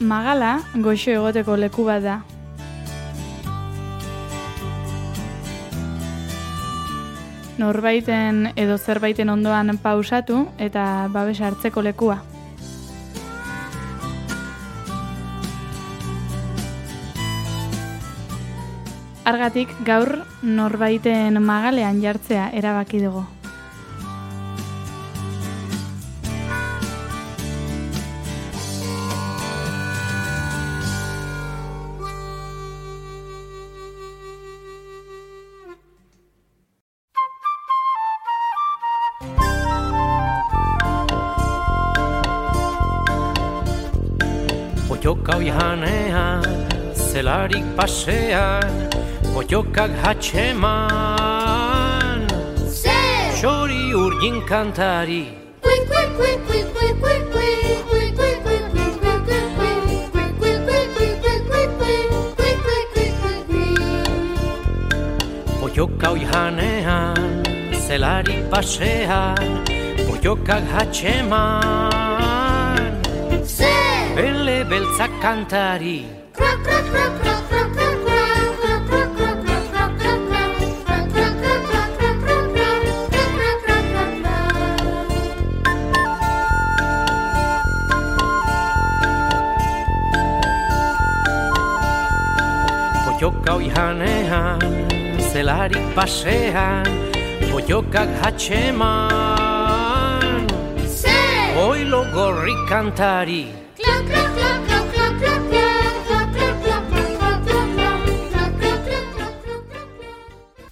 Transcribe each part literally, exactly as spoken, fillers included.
Magala goxo egoteko leku bat da. Norbaiten edo zerbaiten ondoan pausatu eta babes hartzeko lekua. Argatik gaur norbaiten magalean jartzea erabaki dugu. Oioka oihanean, zelarik pasean, oiokak hatxeman. Zer! Xori urgin kantari. Oioka oihanean, zelarik pasean, oiokak hatxeman. Zer! Bele beltzak kantari. Oioka oihanean, zelarik pasean, oiokak hatxeman. Zer! Oilo gorri kantari.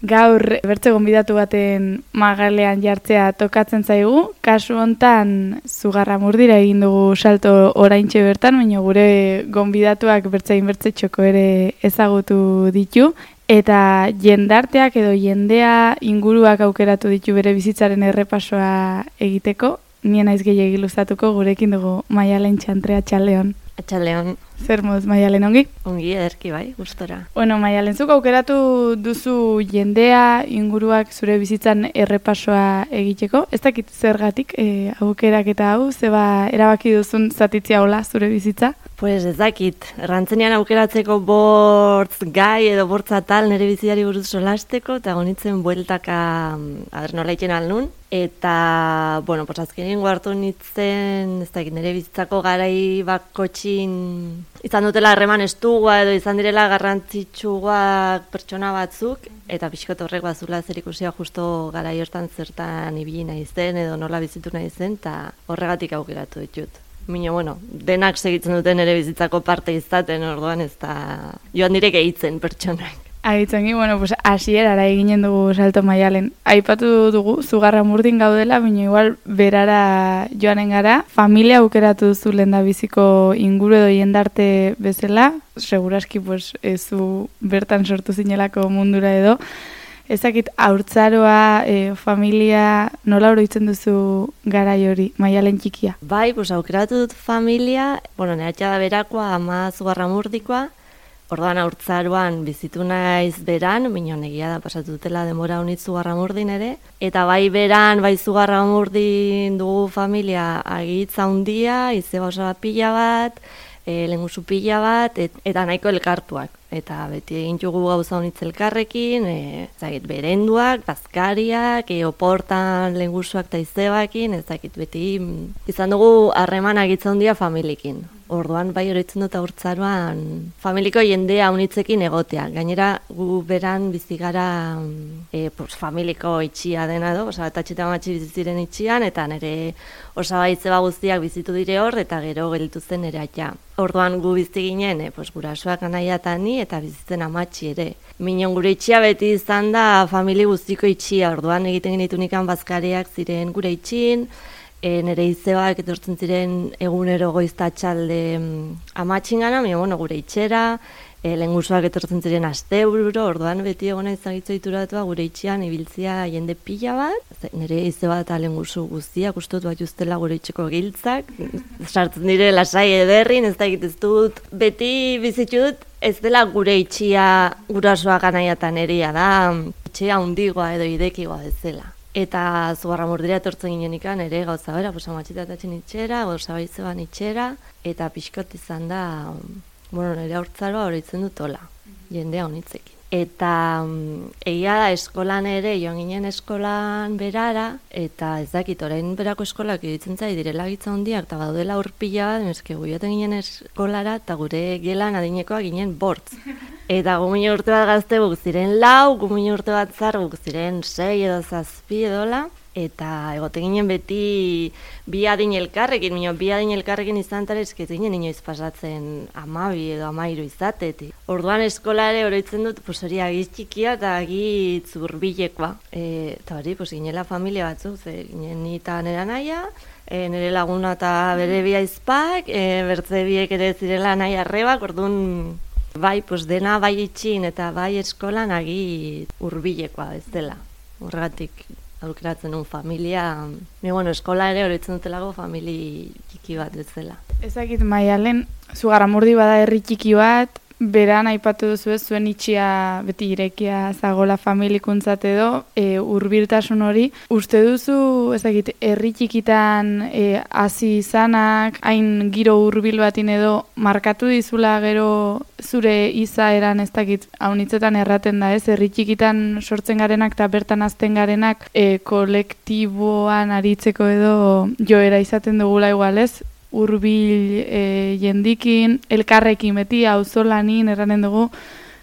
Gaur bertze gonbidatu baten magalean jartzea tokatzen zaigu. Kasu hontan Zugarramurdira egin dugu salto oraintxe bertan, baina gure gonbidatuak bertzein bertze txoko ere ezagutu ditu. Eta jendarteak edo jendea inguruak aukeratu ditu bere bizitzaren errepasoa egiteko. Nien naiz gehiegi luzatuko gurekin dugu Maialen Txantrea Txaleon. Atxaleon. Zer moz, Maialen, ongi? Ongi, ederki bai, gustora. Bueno, Maialen, zuk aukeratu duzu jendea, inguruak zure bizitzan errepasoa egiteko. Ez dakit zergatik e, aukerak eta hau, zeba erabaki duzun zatitzia hola zure bizitza? Pues ez dakit, errantzenean aukeratzeko bortz gai edo bortz atal nire biziari buruz solasteko, eta gonitzen bueltaka, aber nola iken alnun. Eta, bueno, pues azkenengo hartu nintzen, ez dakit, nire bizitzako garai bakotxin izan dutela harreman estua edo izan direla garrantzitsuak pertsona batzuk, eta pixkot horrek bazula zer ikusia justo garai hortan zertan ibili nahi zen edo nola bizitu nahi zen, eta horregatik aukeratu ditut. Mino, bueno, denak segitzen duten ere bizitzako parte izaten, orduan ez da joan direk eitzen pertsonak. Aitzongi, bueno, pues hasierara eginen dugu salto Maialen. Aipatu dugu Zugarramurdin gaudela, baina igual berara joanen gara. Familia aukeratu duzu lehendabiziko inguru edo jendarte bezala. Seguraski, pues, ezu bertan sortu zinelako mundura edo. Ezakit, haurtzaroa, e, familia, nola oroitzen duzu garai hori, Maialen txikia? Bai, pues aukeratu dut familia, bueno, nehatxa da berakoa, ama Zugarramurdikoa. Orduan haurtzaroan bizitu naiz beran, minon egia da pasatu dutela denbora honit Zugarramurdin ere. Eta bai beran, bai Zugarramurdin dugu familia agitza handia, izeba osa pila bat, e, lengusu pila bat, et, eta nahiko elkartuak. Eta beti egin jugu gauza honitz elkarrekin, e, zagit, berenduak, bazkariak, e, oportan lengusuak eta izebakin, ez dakit beti izan dugu harreman agitza handia familiekin. Orduan bai oroitzen dut haurtzaroan familiko jendea unitzekin egotea. Gainera gu beran bizi gara e, pues, familiko itxia dena edo, osa bat atxeta matxi biziziren itxian, eta nire osabaitze guztiak bizitu dire hor, eta gero gelditu zen nire atia. Orduan gu bizi ginen, e, pues, gurasoak anaia eta ni, eta bizitzen amatxi ere. Minon gure itxia beti izan da famili guztiko itxia, orduan egiten genitunikan bazkariak ziren gure itxin, E, nire izebak etortzen ziren egunero goizta txalde amatxingana, mi, bueno, gure itxera, e, lengusuak etortzen ziren astebururo, orduan beti egona izagitzo dituratua gure itxian ibiltzia jende pila bat, nire izeba eta lengusu guztiak ustotu bat justela gure itxeko giltzak, sartzen dire lasai ederrin, ez da egitez dut, beti bizitut ez dela gure itxia gurasoak anaiatan eria da, itxea hundigoa edo idekigoa ez dela. Eta Zugarramurdira etortzen ginen ikan ere gauza bera, pues amatxitatatzen itxera, gauza baitzeban itxera, eta pixkot izan da, bueno, nire haurtzaroa oroitzen dut hola, jendea honitzekin. Eta um, egia da eskolan ere, joan ginen eskolan berara, eta ez dakit, orain berako eskolak editzen zai direla gitza hondiak, eta badudela urpila bat, eske guioten ginen eskolara, eta gure gelan adinekoa ginen bortz. Eta gumino urte bat gazte guk ziren lau, gumino urte bat zar guk ziren sei edo zazpi edola, eta egoten ginen beti bi adin elkarrekin, minio, bi adin elkarrekin izan tara esket ginen inoiz pasatzen amabi edo amairu izatetik. Orduan eskolare oroitzen dut, pues hori agiz txikia eta agiz urbilekoa. E, eta hori, pues ginela familia batzuk, ze ginen nita nera naia, e, nire laguna eta bere bi aizpak, e, bertze biek ere zirela nahi arrebak, orduan bai, pues dena bai itxin eta bai eskolan agiz urbilekoa ez dela. Horregatik aukeratzen un familia, mi bueno, eskola ere horitzen dutelako famili txiki bat bezala. Ezakit Maialen, Zugarramurdi bada herri txiki bat, beran aipatu duzu ez, zuen itxia beti irekia zagola familikuntzat edo, e, hurbiltasun hori. Uste duzu, ezakit, herri txikitan e, hasi izanak, hain giro hurbil batin edo, markatu dizula gero zure izaeran ez dakit, haunitzetan erraten da ez, herri txikitan sortzen garenak eta bertan azten garenak e, kolektiboan aritzeko edo joera izaten dugula igual ez, hurbil e, jendikin, elkarrekin beti, auzolanin erranen dugu,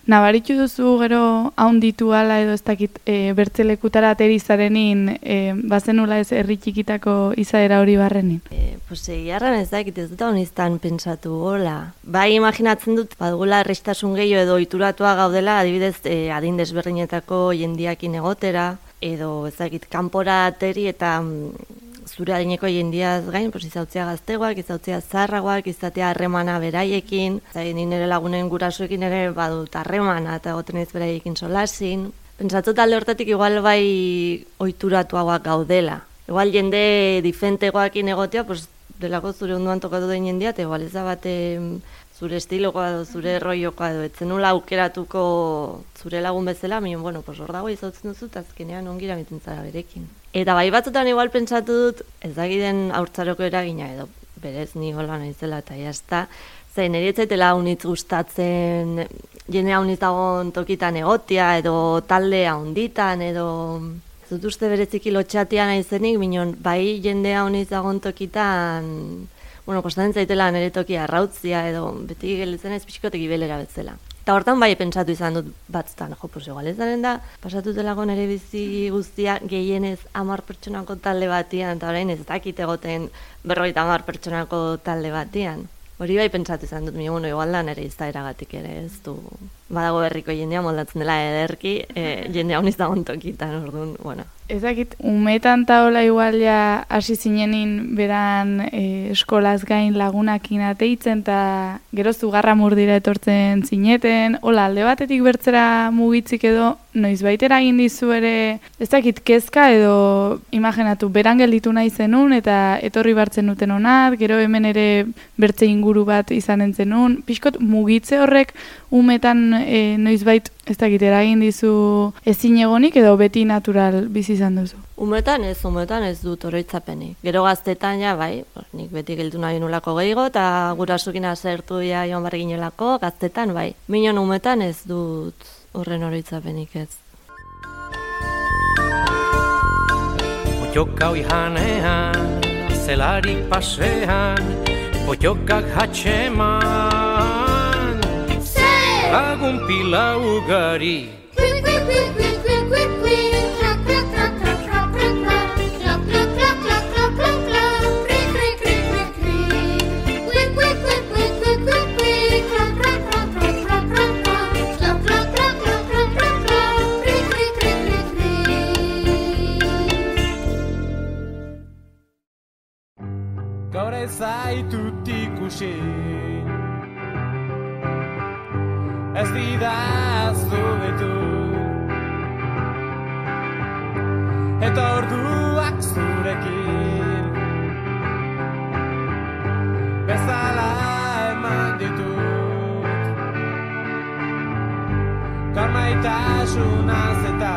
nabaritu duzu gero haunditu ala edo ez dakit e, bertzelekutara aterizarenin e, bazenula ez herri txikitako izaera hori barrenin? E, pues egiarran ez dakit ez dut honiztan pentsatu gola. Bai imaginatzen dut, badugula errestasun gehiago edo ituratua gaudela, adibidez e, adin desberdinetako jendiakin egotera, edo ez dakit kanpora ateri eta zure adineko jendiaz gain, pues, izautzea gaztegoak, izautzea zaharragoak, izatea harremana beraiekin, zain nire lagunen gurasoekin ere badut harremana eta egoten ez beraiekin solasin. Pentsatu talde hortatik igual bai ohituratuagoak gaudela. Igual jende difentegoakin egotea, pues, delako zure onduan tokatu den jendea, eta igual ez da bate zure estilokoa edo zure rollokoa edo etzenula aukeratuko zure lagun bezala, minon, bueno, pues hor dago izautzen duzu, eta azkenean ongira miten zara berekin. Eta bai batzutan igual pentsatu dut, ez dakiden haurtzaroko eragina edo berez ni hola naizela eta jazta, zein niri etzaitela haunitz gustatzen jende haunitz dagoen tokitan egotia edo talde haunditan edo ez dut uste bereziki lotxatia naizenik, minon bai jende haunitz dagoen tokitan, bueno, kostatzen zaitela nire toki arrautzia edo beti gelitzen ez pixkotek ibelera betzela. Eta hortan bai pentsatu izan dut batzutan, jo, pues igual ez daren da, pasatu delako nire bizi guztia gehienez hamar pertsonako talde batian, eta orain ez dakit egoten berrogeita hamar pertsonako talde batian. Hori bai pentsatu izan dut, bueno, igual da nire izaeragatik ere, ez du, badago berriko jendea moldatzen dela ederki, e, jendea honiz dagoen tokitan, orduan, bueno. Ez dakit, umetan taola igual ja hasi zinenin beran e, eskolaz gain lagunakin ateitzen, eta gero Zugarramurdira etortzen zineten, hola, alde batetik bertzera mugitzik edo, noiz baitera egin dizu ere, ez dakit, kezka edo imaginatu, beran gelditu nahi zenun, eta etorri bartzen duten honat, gero hemen ere bertze inguru bat izanen zenun, pixkot mugitze horrek umetan e, noizbait ez dakit eragin dizu ezin egonik edo beti natural bizi izan duzu? Umetan ez, umetan ez dut oroitzapenik. Gero gaztetan ja, bai, nik beti geldu nahi nulako gehiago eta gurasukin azertu ja joan barri ginelako, gaztetan bai. Minon umetan ez dut horren oroitzapenik ez. Potioka oihanean, zelarik pasean, potiokak hatxeman, lagun pila ugari. Gaur ez zaitut ikusi, ez didaztu betu, eta orduak zurekin bezala eman ditut, gaur maitasunaz eta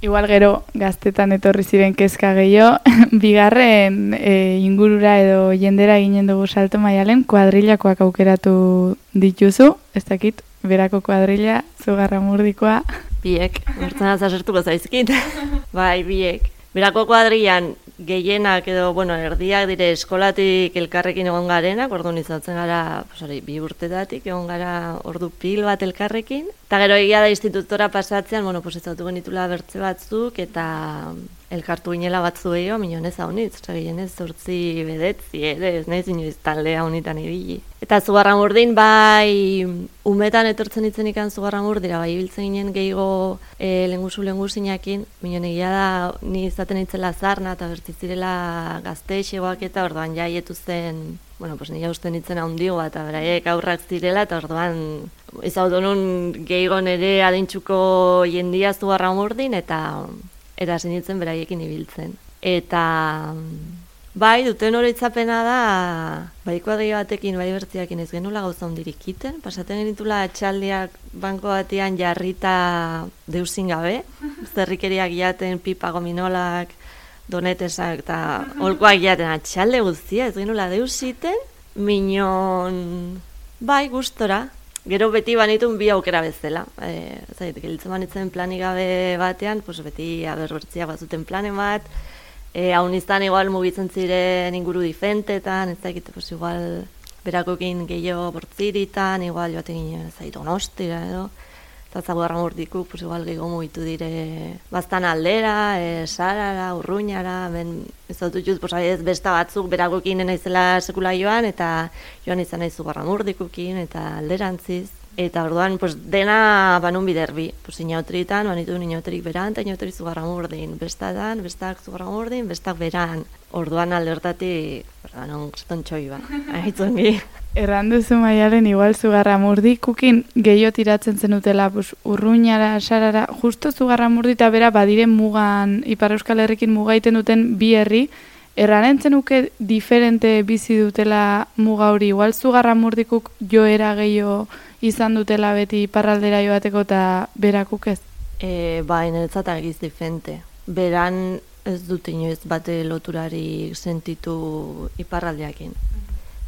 Igual gero gaztetan etorri ziren kezka gehiago, bigarren e, ingurura edo jendera ginen dugu salto Maialen, kuadrilakoak aukeratu dituzu, ez dakit, berako kuadrila, Zugarramurdikoa. Biek, bertzen azazertuko zaizkit. Bai, biek. Berako kuadrilan gehienak edo, bueno, erdiak dire eskolatik elkarrekin egon garenak, orduan izatzen gara, posari, bi urtetatik egon gara ordu pil bat elkarrekin. Eta gero egia da institutora pasatzean, bueno, pues ezautu genitula bertze batzuk, eta elkartu ginela batzu gehiago, minon ez haunitz, oza, gehienez zortzi bedetzi, ere, ez nahiz inoiz taldea honitan ibili. Eta Zugarramurdin, bai, umetan etortzen itzen ikan Zugarramurdira, bai, ibiltzen ginen gehiago e, lengusu lengusinakin, minon egia da, ni izaten itzela zarna, eta bertizirela gazte xegoak eta orduan jaietu zen, bueno, pues nila uste nintzen handigo eta beraiek aurrak zirela, eta orduan izaudu nun gehiago nere adintxuko jendia Zugarramurdin, eta eta sinitzen beraiekin ibiltzen. Eta bai, duten oroitzapena da, bai kuadri batekin, bai bertziakin ez genula gauza hondirik iten, pasaten genitula atxaldiak banko batean jarrita deusin gabe, zerrikeriak jaten, pipa gominolak, donetesak eta holkoak jaten atxalde guztia, ez genula deusiten, minon, bai, gustora. Gero beti banitun bi aukera bezala. E, zait, gelitzen banitzen planik gabe batean, pues beti aberbertziak bazuten planen bat, e, haun izan igual mugitzen ziren inguru difentetan, ez dakit, pues igual berakokin gehiago bortziritan, igual joaten ginen, zait, Donostira edo, eta Zugarramurdikuk, pues igual gehiago mugitu dire bastan aldera, e, Sarara, Urruñara, ben ez dut juz, pues ez besta batzuk berakokin naizela sekula joan, eta joan izan nahi Zugarramurdikukin, eta alderantziz. Eta orduan, pues, dena banun biderbi. Pues, inautritan, banitu inautrik beran, eta inautrik Zugarramurdin. Bestatan, bestak Zugarramurdin, bestak beran. Orduan aldertatik, non, estontxoi ba, ahitzongi. Erran duzu Maialen, igual Zugarramurdikukin gehiago tiratzen zenutela, pues, Urruñara, Sarara, justo Zugarramurdi eta bera badiren mugan, Ipar Euskal Herrikin mugaiten duten bi herri, erran entzenuke diferente bizi dutela muga hori, igual Zugarramurdikuk joera gehiago izan dutela beti iparraldera joateko eta berakuk ez? E, ba, niretzat argiz diferente. Beran ez dut inoiz bate loturari sentitu iparraldeakin.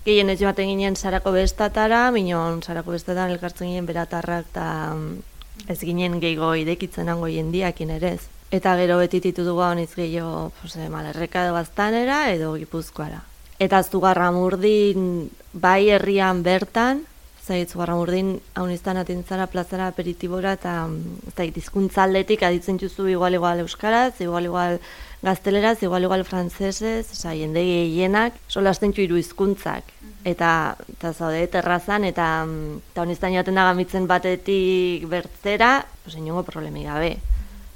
Gehien ez joaten ginen Sarako bestatara, minon Sarako bestatan elkartzen ginen beratarrak eta ez ginen gehiago idekitzen hango jendiakin ere ez. Eta gero beti titutu honiz gehiago pues, Malerreka edo Baztanera edo Gipuzkoara. Eta Zugarramurdin bai herrian bertan, zait Zugarramurdin hauniztan atintzara plazara aperitibora eta zait hizkuntzaldetik aditzen juzu igual igual euskaraz, igual igual gazteleraz, igual igual frantsesez, oza, jende gehienak solasten hiru hizkuntzak. Eta, eta zaude terrazan, eta hauniztan joaten da gamitzen batetik bertzera, pues, inongo problemi gabe.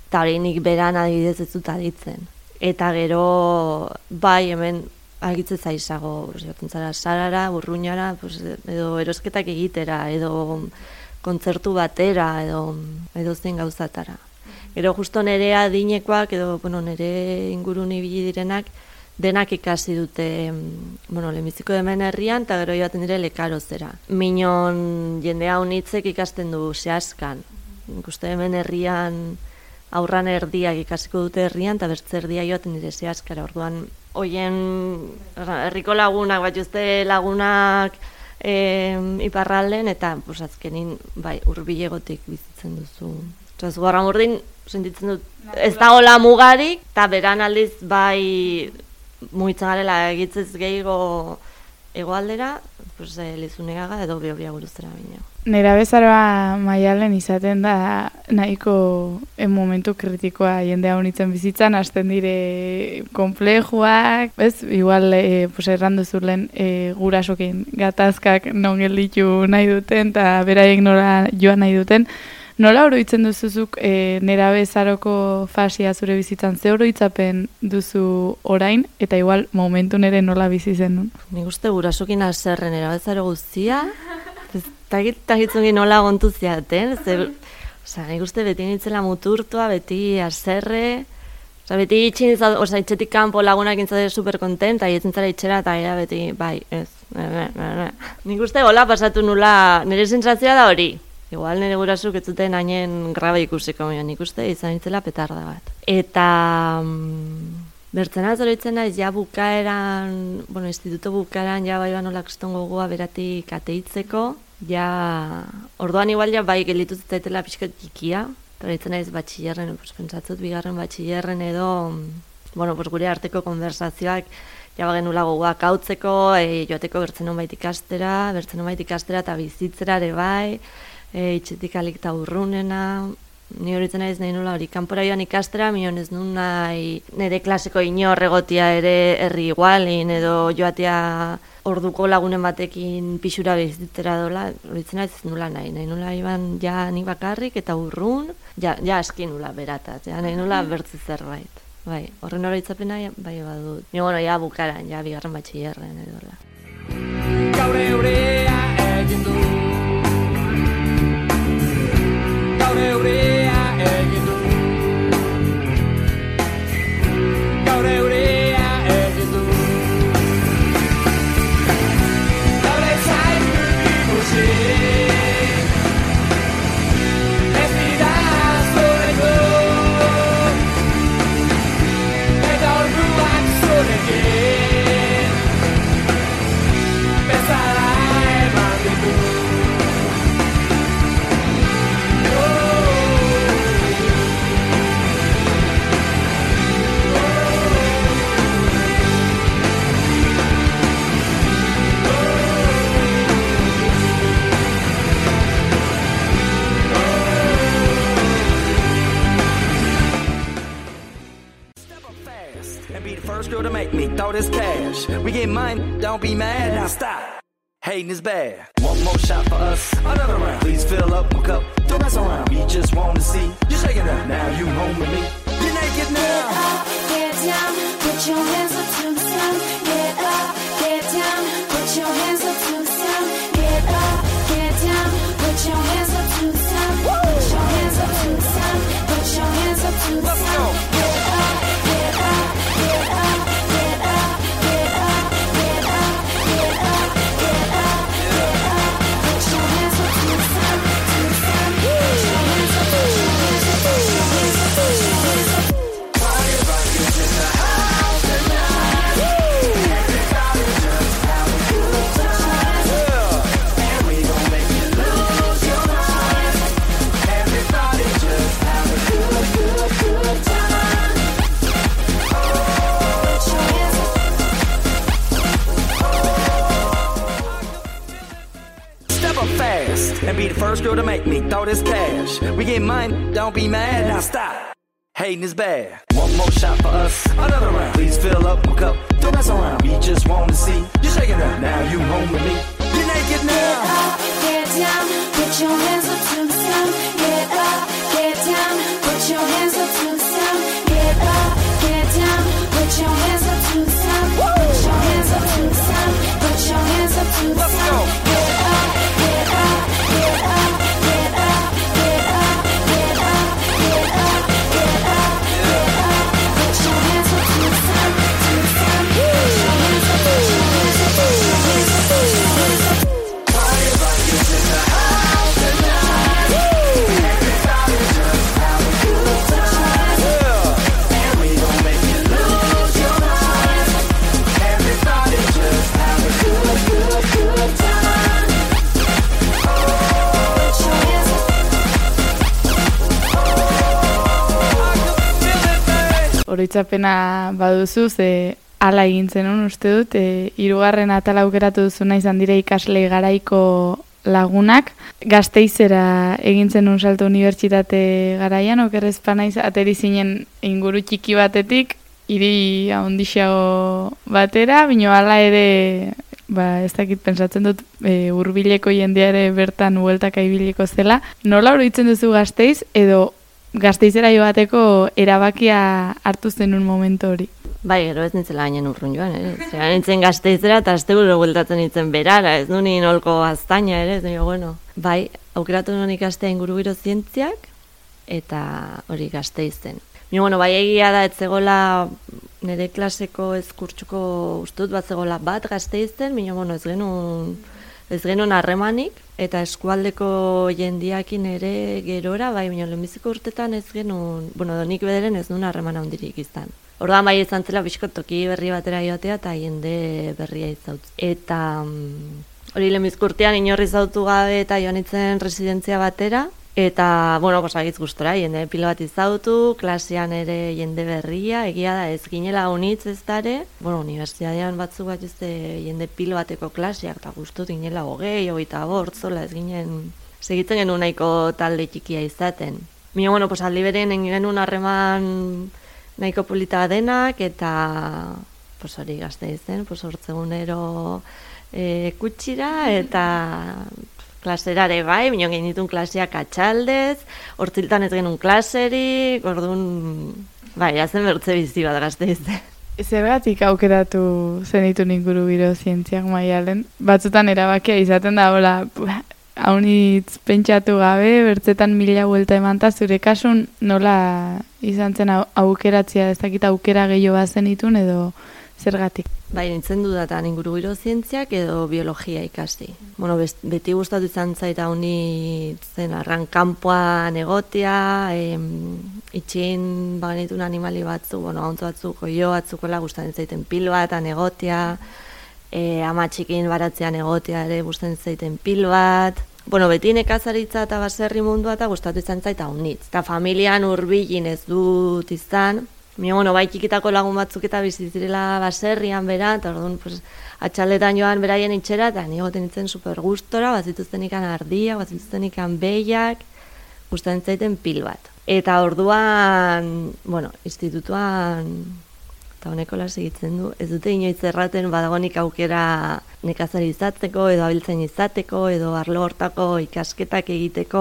Eta hori nik beran adibidez ez dut aditzen. Eta gero, bai, hemen argitze zaizago, joaten zara Sarara, Urruñara, pues, edo erosketak egitera, edo kontzertu batera, edo, edo zein gauzatara. Gero justo nere adinekoak, edo bueno, nere ingurun ibili direnak, denak ikasi dute, bueno, lehenbiziko hemen herrian, eta gero joaten dire Lekarozera. Minon jendea unitzek ikasten du zehazkan. Ikuste hemen herrian aurran erdiak ikasiko dute herrian, eta bertze erdia joaten dire zehazkara. Orduan, hoien herriko lagunak, bat jozte lagunak e, iparralden, eta pues, azkenin bai, hurbilegotik bizitzen duzu. Osa, Zugarramurdin sentitzen dut, ez da hola mugarik, eta beran aldiz bai mugitzen garela egitzez gehiago egoaldera, pues, eh, Lizunegaga edo Behobia guruzera bine. Nera bezaroa Maialen izaten da nahiko en momentu kritikoa jendea honitzen bizitzan, hasten dire konplejuak, ez? Igual, e, pues, errandu zulen e, gurasokin gatazkak non gelditu nahi duten, eta beraiek nola joan nahi duten. Nola oroitzen duzuzuk e, nera bezaroko fasia zure bizitzan, ze oroitzapen duzu orain, eta igual momentu nere nola bizi zen nun? Nik uste gurasokin azerren nera bezaro guztia, tagitzungi nola gontu ziaten, oza, nik uste beti nintzela muturtua, beti azerre, oza, beti itxin izan, oza, itxetik kanpo lagunak intzade super kontenta, ietzen zara itxera, eta era beti, bai, ez, ne, ne, ne, ne. Nik uste hola pasatu nula, nire sentsazioa da hori. Igual nire gurasuk ez zuten hainen graba ikusiko, baina nik uste izan itzela petarda bat. Eta mm, bertzena zoritzen naiz, ja bukaeran, bueno, instituto bukaeran, ja bai banola kriston gogoa beratik ateitzeko, ja, orduan igual ja bai gelitu zitzaitela pixkat txikia, zoritzen naiz batxillerren, pues, pentsatzut bigarren batxillerren edo, bueno, pues, gure arteko konversazioak, ja bagenula gogoak hautzeko, e, joateko bertzen honbait ikastera, bertzen honbait ikastera eta bizitzera ere bai, e, itxetik alik eta urrunena, ni horitzen naiz nahi nula hori, kanpora joan ikastera, mion ez nun nahi nire klaseko inor egotia ere herri igualin, edo joatea orduko lagunen batekin pixura bizitzera dola, horitzen naiz nula nahi, nahi nula iban ja nik bakarrik eta urrun, ja, ja aski nula berataz, ja, nahi nula bertzi zerbait. Bai, horren oroitzapena bai badut. Ni bueno, ja bukaran, ja bigarren batxillerren edola. Gaur eurea egin du. Gaur eurea egin du. Gaur eurea egin du. Gaur ez zaitu ikusi. Ez dira zureko. Eta orduak zurekin. Bezala eman ditu. And be the first girl to make me throw this cash. We get mine, don't be mad, now stop. Hating is bad. One more shot for us, another round. Please fill up my cup, don't mess around. We just want to see you shaking up. Now you home with me. You're naked now. Get up, get down, put your hands up to the sound. Get up, get down, put your hands up to the sound. Get up, get down, put your hands up to the sound. Put your hands up to the sound. Put your hands up to the sound. Get up, get up, get up, get up, get up, get up, get up, get up, get up. Put your hands up to the sound, to the sound. Put your hands up, put your hands up, put your hands up, put your hands up. Party rockers in the house tonight. Everybody just have a good time. Yeah. And we gon' make you lose your mind. Everybody just have a good, good, good time. Put your hands up. Step up fast and be the first girl to make me throw this cash. We get mine, don't be mad, now stop. Hating is bad. One more shot for us, another round. Please fill up my cup, don't mess around. We just want to see you shaking up. Now you home with me. You're naked Get now. up, get down, put your hands up to the sound. Get up, get down, put your hands up to the sound. Get up, get down, put your hands up to the sound. Put your hands up to the sound. Put your hands up to the Let's sound. go. Get up, get up, get up, get up, get up, get up, get up, get up, get up. Put your hands up to the sound, to the sound. Put your hands up, put your hands up, put your hands up, put your hands up. Party rockers in the house tonight. Everybody just have a good time. Yeah. And we gon' make you lose your mind. Everybody just have a good, good, good time. Put your hands up. Oroitzapena baduzu, ze hala egin zenun uste dut, e, hirugarren atala aukeratu duzuna izan dira ikasle garaiko lagunak. Gazteizera egin zenun salto unibertsitate garaian, okerrezpa naiz, ateri zinen inguru txiki batetik, hiri handixago batera, bino hala ere, ba, ez dakit pentsatzen dut, e, hurbileko jendea ere bertan hueltaka ibiliko zela. Nola oroitzen duzu Gasteiz, edo Gasteizera joateko erabakia hartu zenun momentu hori? Bai, gero ez nintzela gainen urrun joan, ere. Zera nintzen Gasteizera eta asteguro bueltatzen nintzen berara, ez du nien holko gaztaina, ere, ez nio, bueno. Bai, aukeratu nuen ikastea ingurugiro zientziak, eta hori Gasteizen. Ni, bueno, bai egia da, ez zegoela nire klaseko ezkurtxuko ustut bat zegoela bat Gasteizen, bino, bueno, ez genuen ez genuen harremanik, eta eskualdeko jendiakin ere gerora, bai, baina lehenbiziko urtetan ez genuen, bueno, nik bederen ez nuen harreman handirik izan. Orduan bai izan zela bizko toki berri batera joatea eta jende berria izautz. Eta mm, hori lehenbizko urtean inorri izautu gabe eta joan itzen residentzia batera, eta, bueno, posagitz gustora, jende pilo bat izautu, klasean ere jende berria, egia da ez ginela unitz ez dare, bueno, unibertsitatean batzuk bat juzte jende pilo bateko klaseak, eta gustut ginela hogei, hogeita bort, zola ez ginen, segitzen genuen nahiko talde txikia izaten. Mino, bueno, pues aldi beren genuen harreman nahiko polita denak, eta, pues hori gazte izen, pues hortzegunero e, kutsira, eta klaserare bai, bino genitun klaseak atxaldez, hortziltan ez genuen klaserik, orduan, bai, hazen bertze bizi bat gazte izen. Zergatik aukeratu zenitun ingurugiro zientziak Maialen? Batzutan erabakia izaten da, hola, haunitz pentsatu gabe, bertzetan mila buelta emanta, zure kasun nola izan zen aukeratzea, ez dakit aukera gehiago bazenitun edo zergatik? Bai, nintzen dudatan ingurugiro zientziak edo biologia ikasi. Bueno, beti gustatu izan zaita honi zen arran kanpoan egotea, em, itxin bagenitun animali batzu, bueno, hauntzu batzuk, oio batzukola gustatzen zaiten pil batan egotea, e, ama txikin baratzean egotea ere gustatzen zaiten pil bat. Bueno, beti nekazaritza eta baserri mundua eta gustatu izan zaita honitz. Eta familian hurbilin ez dut izan, Mio, bueno, bai txikitako lagun batzuk eta bizitzirela baserrian bera, eta orduan, pues, atxaldetan joan beraien itxera, eta ni goten itzen super gustora, bazituzten ikan ardia, bazituzten ikan behiak, gustatzen zaiten pil bat. Eta orduan, bueno, institutuan, eta honeko las egitzen du, ez dute inoiz erraten badagonik aukera nekazari izateko, edo abiltzen izateko, edo arlo hortako ikasketak egiteko,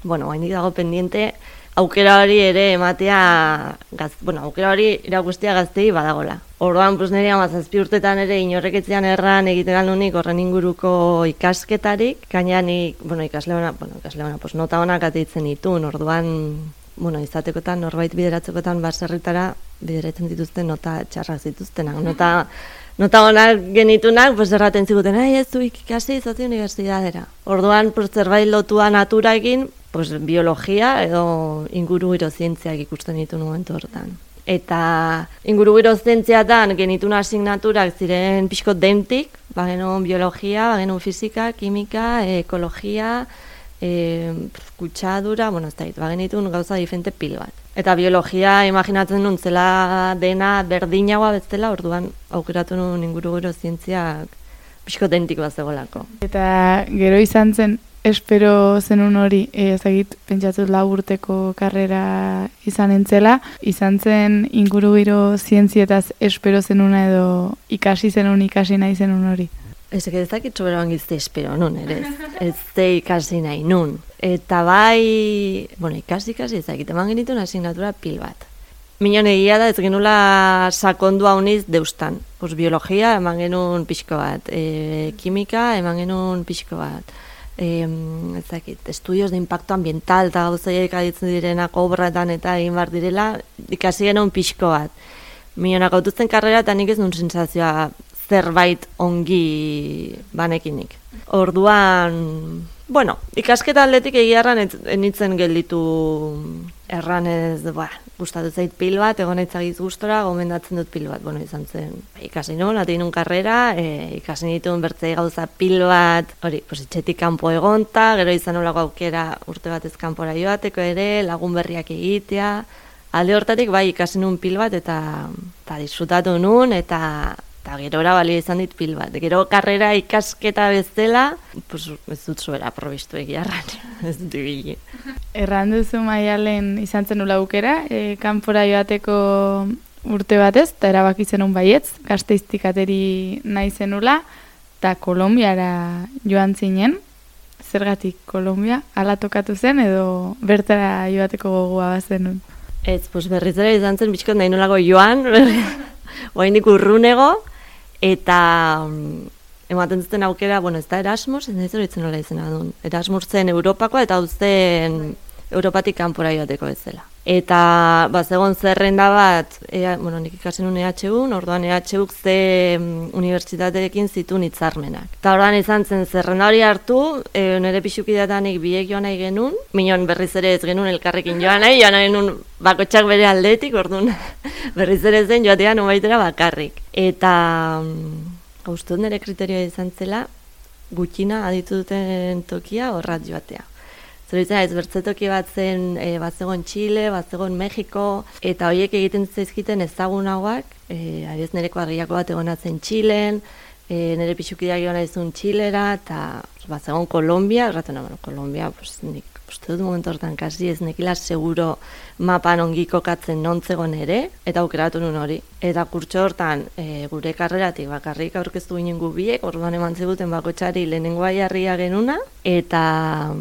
bueno, haindik dago pendiente, aukera hori ere ematea, gaz, bueno, aukera hori irakustea gaztei badagola. Orduan, pues nire amazazpi urtetan ere inorreketzean erran egiten aldunik horren inguruko ikasketarik, gaina nik, bueno, ikasle hona, bueno, ikasle hona, pues nota honak ateitzen ditun, orduan, bueno, izatekotan, norbait bideratzekotan baserritara bideratzen dituzten nota txarrak zituztenak, nota, nota honak genitunak, pues erraten ziguten, ai, ez du ikasi izate unibertsitatera. Orduan, pues zerbait lotua naturaekin, pues biologia edo ingurugiro zientziak ikusten ditu momentu hortan. Eta ingurugiro zientziatan genitun asignaturak ziren pixko dentik, bagenun biologia, bagenun fisika, kimika, ekologia, e, kutsadura, bueno, ez da, bagenitun gauza diferente pil bat. Eta biologia imaginatzen nun zela dena berdinagoa bezala, orduan aukeratu nun ingurugiro zientziak pixko dentik bat zegoelako. Eta gero izan zen, espero zenun hori, ezagit, pentsatuz lau urteko karrera izan entzela, izan zen ingurugiro zientzietaz espero zenuna edo ikasi zenun ikasi nahi zenun hori? Ez ezakit soberan gizte espero nun, ere ez ze ikasi nahi nun. Eta bai, bueno, ikasi ikasi ezakit, eman genituen asignatura pil bat. Minon egia da ez genula sakondu hauniz deustan. Pues biologia eman genuen pixko bat, e, kimika eman genuen pixko bat. Eh, ezakit, estudios de impacto ambiental eta gauzaiek aditzen direnak obratan eta egin bar direla, ikasi genuen pixko bat. Milionak autuzten karrera eta nik ez nun sensazioa zerbait ongi banekinik. Orduan, bueno, ikasketa aldetik egiarran enitzen gelditu erranez, ba, gustatu zait pil bat, egon eitzagiz gustora, gomendatzen dut pil bat, bueno, izan zen. Ikasi nuen, atein nun karrera, e, ikasi nituen bertzei gauza pil bat, hori, pues, etxetik kanpo egonta, gero izan olako aukera urte batez kanpora joateko ere, lagun berriak egitea, alde hortatik bai ikasi nuen pil bat, eta, eta disfrutatu nuen, eta eta gerora balio izan dit pil bat. Gero karrera ikasketa bezala, pues, ez dut zuera probistu egiarran, ez dut ibili. Erran duzu Maialen izan zen nula aukera, e, kanpora joateko urte batez, eta erabaki zenun baietz, Gasteiztik ateri nahi zenula, eta Kolonbiara joan zinen. Zergatik Kolombia, ala tokatu zen edo bertara joateko gogoa bazenun? Ez, pues berriz ere izan zen bitxikot nahi nolako joan, oraindik urrunego, eta um, ematen zuten aukera, bueno, ez da Erasmus, ez nahi zoritzen nola izena duen. Erasmus zen Europakoa, eta hau zen Europatik kanpora joateko bezala. Eta bazegon zerrenda bat, ea, bueno, nik ikasen un E H U, orduan E H Uk ze um, unibertsitateekin zituen hitzarmenak. Eta orduan izan zen zerrenda hori hartu, e, nire pixukidatanik biek joan nahi genuen, minon berriz ere ez genuen elkarrekin joan nahi, joan nahi genuen bakotxak bere aldetik, orduan berriz ere zen joatean umaitera bakarrik. Eta um, uste dut nire kriterioa izan zela, gutxina aditu duten tokia horrat joatea. Zoritzen ez bertzetoki bat zen, e, bat zegoen Txile, bat zegoen Mexiko, eta horiek egiten zaizkiten ezagunagoak, e, ariz nereko argiako bat egonatzen Txilen, e, nire pixukideak egon naizun Txilera, eta bat zegoen Kolombia, erraten bueno, Kolombia, pues, nik uste dut momentu hortan kasi ez nekila seguro mapan ongi kokatzen nontzegon ere, eta aukeratu nun hori. Eta kurtso hortan, e, gure karreratik bakarrik aurkeztu ginen gu biek, orduan eman ziguten bakotxari lehenengoa jarria genuna, eta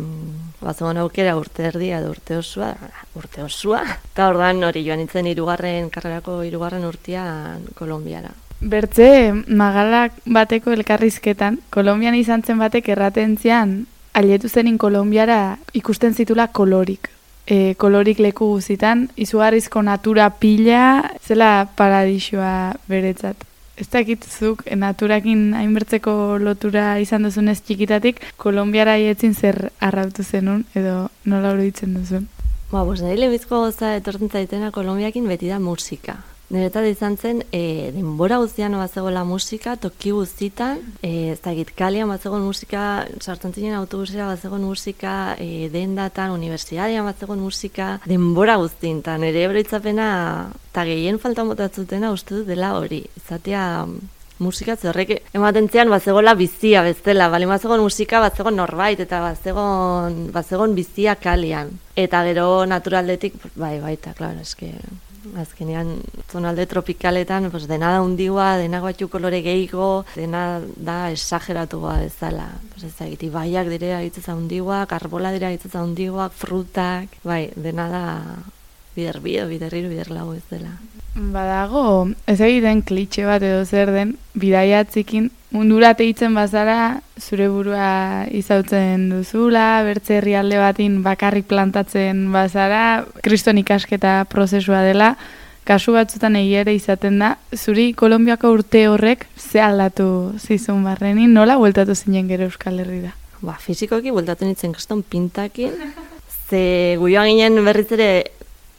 bazegoen aukera urte erdia edo urte osua, urte osua, eta orduan hori joan nintzen hirugarren karrerako hirugarren urtean Kolonbiara. Bertze, magalak bateko elkarrizketan, Kolonbian izan zen batek erraten zian, aietu zenin Kolonbiara ikusten zitula kolorik. E, kolorik leku guzitan, izugarrizko natura pila, zela paradisua beretzat. Ez dakitzuk, naturakin hainbertzeko lotura izan duzunez txikitatik, Kolonbiara aietzin zer arrautu zenun, edo nola oroitzen duzun? Ba, bos, nire lehenbizko goza etortzen zaitena Kolonbiakin beti da musika. Niretzat izan zen, e, denbora guztian bazegoela musika, toki guztitan, e, ez dakit, kalian bazegoen musika, sartzen zinen autobusera bazegoen musika, e, dendatan, unibertsitatean bazegoen musika, denbora guztien, eta nire ebroitzapena, eta gehien faltan botatzutena uste dut dela hori, izatea musika zerrek ematen zian bazegoela bizia bezala, bali bazegoen musika bazegoen norbait, eta bazegoen, bazegoen bizia kalian. Eta gero naturaldetik, bai, baita, klaro, eske... Azkenean, zonalde tropikaletan, pues, dena da hundiua, dena batxu kolore gehiago, dena da esageratua bezala. Pues, ez da, ibaiak dire agitzeza hundiuak, arbola dire agitzeza hundiuak, frutak, bai, dena da bider bi, bider hiru, bider lau ez dela. Badago, ez egiten klitxe bat edo zer den, bidaiatzikin mundura teitzen bazara, zure burua izautzen duzula, bertze herrialde batin bakarrik plantatzen bazara, kriston ikasketa prozesua dela, kasu batzutan egia ere izaten da, zuri Kolonbiako urte horrek ze aldatu zizun barrenin, nola bueltatu zinen gero Euskal Herrira? Ba, fizikoki bueltatu nintzen kriston pintakin, ze guioan ginen berriz ere,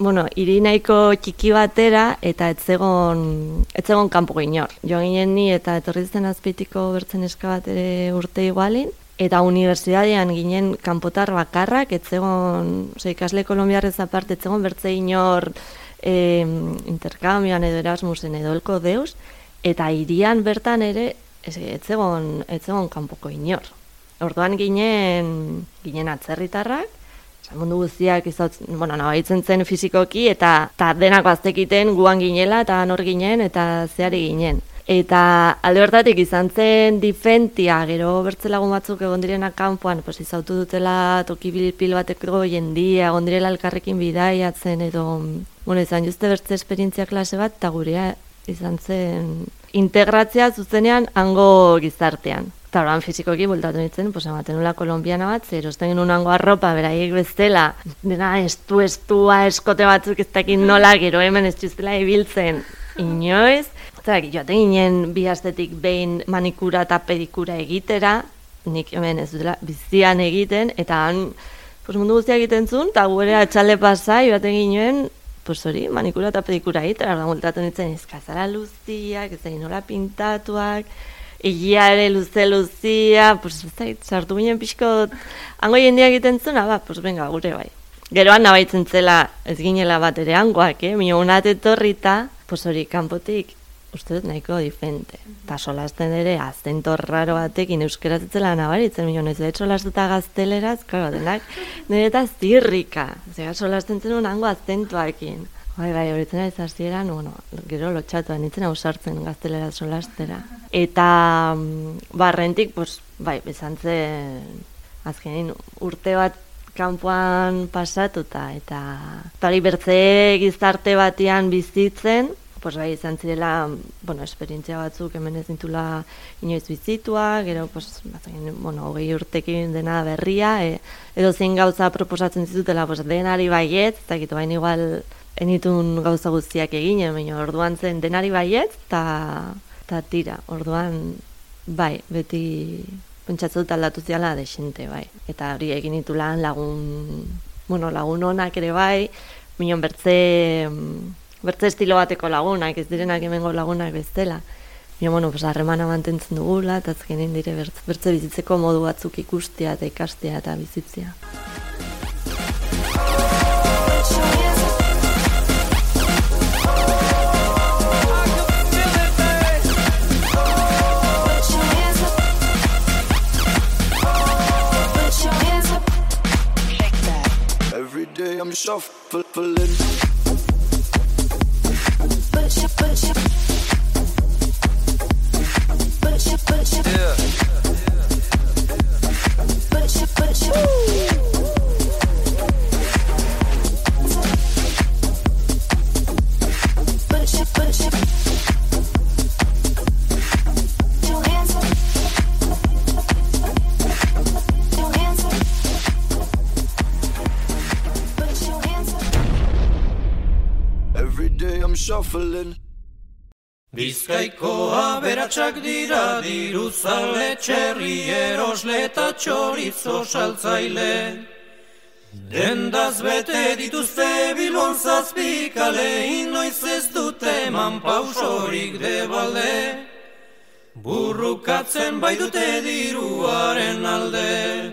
bueno, hiri nahiko txiki batera eta etzegon etzegon kanpo inor. Joan ginen ni eta etorri zen Azpeitiko bertzen eska bat ere urte igualin, eta unibertsitatean ginen kanpotar bakarrak, etzegon, oza, ikasle kolonbiarrez aparte, etzegon bertze inor e, interkambioan edo Erasmusen edo elko deus, eta hirian bertan ere etzegon, etzegon kanpoko inor. Orduan ginen, ginen atzerritarrak, mundu guztiak izautzen, bueno, nabaitzen zen fizikoki, eta, eta denak baztekiten guan ginela, eta nor ginen, eta zeari ginen. Eta alde hortatik izan zen difentia, gero bertzelagun batzuk egon direnak kanpoan, pues, izautu dutela toki pil bateko jendia, egon direla elkarrekin bidaiatzen, edo, bueno, izan juste bertze esperientzia klase bat, eta gurea izan zen integratzea zuzenean hango gizartean. Eta horan fizikoki bultatu nintzen, pues, ematen nula kolombiana bat, zer osten genuen hango arropa, beraiek bestela, dena estu, estua, eskote batzuk ez dakin nola, gero hemen ez txustela ibiltzen inoiz. Eta joaten ginen bi astetik behin manikura eta pedikura egitera, nik hemen ez dutela bizian egiten, eta han pues, mundu guztia egiten zuen, eta gure atxalde pasa, joaten ginen, pues hori, manikura eta pedikura egitera, ordan bultatu nintzen izkazara luziak, ez da nola pintatuak, egia ere luze-luzia, pues ez da, sartu ginen pixko, hango jendia egiten zuna, ba, pues venga, gure bai. Geroan nabaitzen zela ez ginela bat ere hangoak, eh? Mino unat etorrita, pues hori, kanpotik, uste dut nahiko diferente. Eta solasten ere, azento raro batekin euskera zitzela nabaritzen, mino ez dut solastuta gazteleraz, klaro, denak, nire eta zirrika. Zega solasten zenun hango azentuakin. Bai, bai, horitzen ari zazieran, bueno, gero lotxatuan nintzen ausartzen gaztelera solastera. Eta barrentik, pues, bai, bezan zen, azkenin urte bat kanpoan pasatuta, eta hori bertze gizarte batean bizitzen, pues bai izan zirela, bueno, esperientzia batzuk hemen ez dintula inoiz bizitua, gero, pues, bazen, bueno, hogei urtekin dena berria, e, edo zein gauza proposatzen zitutela, pues, denari baiet, eta gitu, baina igual enitun gauza guztiak eginen, baina orduan zen denari baiet, eta ta tira, orduan, bai, beti pentsatze dut aldatu ziala desente, bai. Eta hori egin ditulan lagun, bueno, lagun onak ere bai, minon bertze, bertze estilo bateko lagunak, ez direnak hemengo lagunak bestela. Minon, bueno, pues, harremana mantentzen dugula, eta azkenin dire bertze, bertze bizitzeko modu batzuk ikustea eta ikastea eta bizitzea. Every day I'm shuffling. Put your, put your, put your, put your, Yeah. put your, put your, put your, put your, your hands up, your hands up, put your hands up. Every day I'm shuffling. Bizkaiko aberatsak dira diruzale, txerri erosle eta txorizo saltzaile. Dendaz bete dituzte Bilbon zazpikale, inoiz ez dute eman pausorik debalde. Burrukatzen bai dute diruaren alde.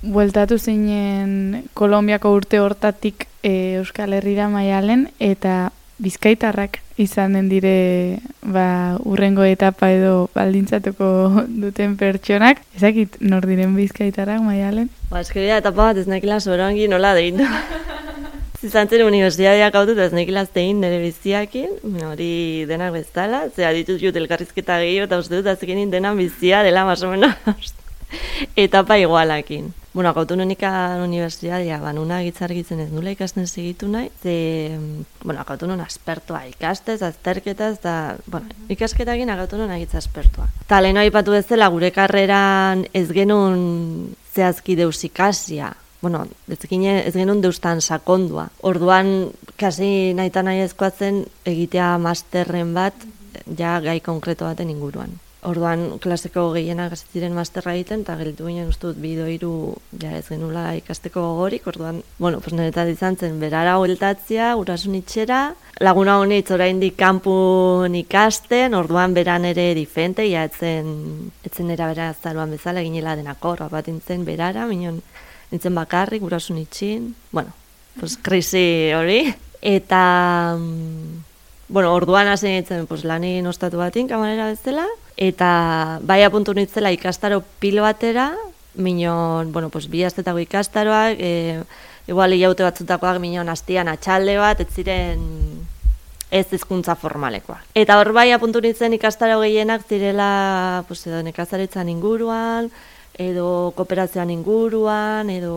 Bueltatu zinen Kolonbiako urte hortatik e, Euskal Herrira Maialen, eta bizkaitarrak izanen dire ba, urrengo etapa edo baldintzatuko duten pertsonak. Ezakit nor diren bizkaitarrak Maialen? Ba, eskeria etapa bat ez nekila soberangi nola deitu. Izan zen unibertsitateak hau dut ez nekila zein nire biziakin, hori denak bezala, zera ditut jut elkarrizketa gehiago eta uste dut azkenin denan bizia dela más o menos etapa igualakin. Bueno, akautonomikan unibertsitatea banuna gitzargitzen ez nula ikasten segitu nahi, ze, bueno, akautonon aspertua ikastez, azterketaz, eta, bueno, ikasketakin akautonon agitza aspertua. Ta leheno aipatu bezala gure karreran ez genuen zehazki deus ikasia, bueno, ez, gine, ez genuen deustan sakondua. Orduan, kasi nahita nahi ezkoatzen egitea masterren bat, ja gai konkreto baten inguruan. Orduan, klaseko gehienak hasi ziren masterra egiten, eta gelditu ginen uste dut bi edo hiru ja ez genula ikasteko gogorik, orduan, bueno, pues niretzat izan zen berara hueltatzea, gurasun itxera, laguna honitz oraindik kanpun ikasten, orduan beran ere diferente, ja etzen, etzen era bera azaroan bezala, ginela denakor, bat intzen berara, minon nintzen bakarrik, gurasun itxin, bueno, pues krisi hori, eta... Bueno, orduan hasi nintzen pues, lanin ostatu batin, kamarera bezala, eta bai apuntu nintzela ikastaro pilo batera, minon, bueno, pues, bi astetako ikastaroak, e, igual hilaute batzutakoak minon hastian atxalde bat, ez ziren ez hizkuntza formalekoak. Eta hor bai apuntu nintzen ikastaro gehienak zirela pues, edo nekazaritzan inguruan, edo kooperazioan inguruan, edo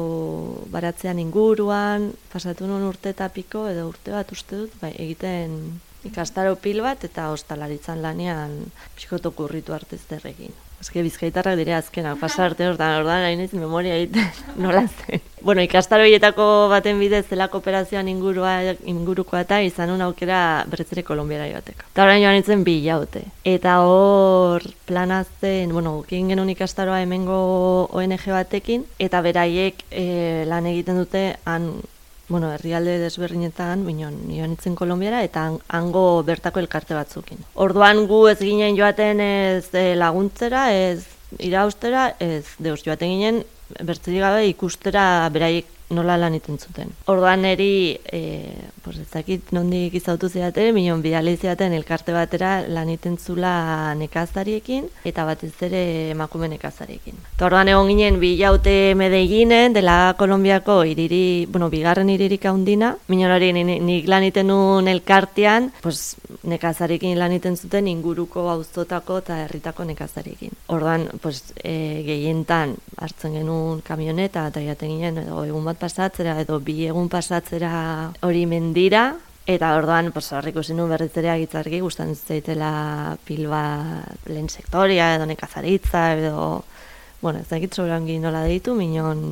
baratzean inguruan, pasatu nun urte eta piko, edo urte bat uste dut, bai, egiten ikastaro pil bat eta ostalaritzan lanean pixkotok urritu artezterrekin. Eske bizkaitarrak dire azkenak, pasa arte hortan, ordan nahi naiz memoria egiten nola zen. Bueno, ikastaro horietako baten bidez zela kooperazioan ingurua, ingurukoa eta izan un aukera berretzere Kolonbiara joateko. Eta orain joan nintzen bi hilaute. Eta hor planazen, bueno, egin genuen ikastaroa hemengo O N G batekin, eta beraiek e, lan egiten dute han, bueno, herrialde desberdinetan, minon, joan nintzen Kolonbiara, eta hango bertako elkarte batzukin. Orduan gu ez ginen joaten ez e, laguntzera, ez iraustera, ez deus joaten ginen, bertzerik gabe ikustera beraiek nola lan iten zuten. Orduan neri, e, pues ez dakit nondik izautu zidaten, minon bidali zidaten elkarte batera lan iten zula nekazariekin, eta batez ere emakume nekazariekin. Eta orduan egon ginen bi hilaute Medellinen, dela Kolonbiako iriri, bueno, bigarren iririk handina, minon hori nik lan iten nuen elkartean, pues nekazariekin lan iten zuten inguruko auzotako eta herritako nekazariekin. Orduan, pues e, gehientan hartzen genuen kamioneta, eta jaten ginen, edo egun bat pasatzera edo bi egun pasatzera hori mendira, Eta orduan, pues, hor ikusi nuen berriz ere agitzarki, gustatzen zaitela pil bat lehen sektoria, edo nekazaritza, edo, bueno, ez dakit sobrangi nola deitu, minon,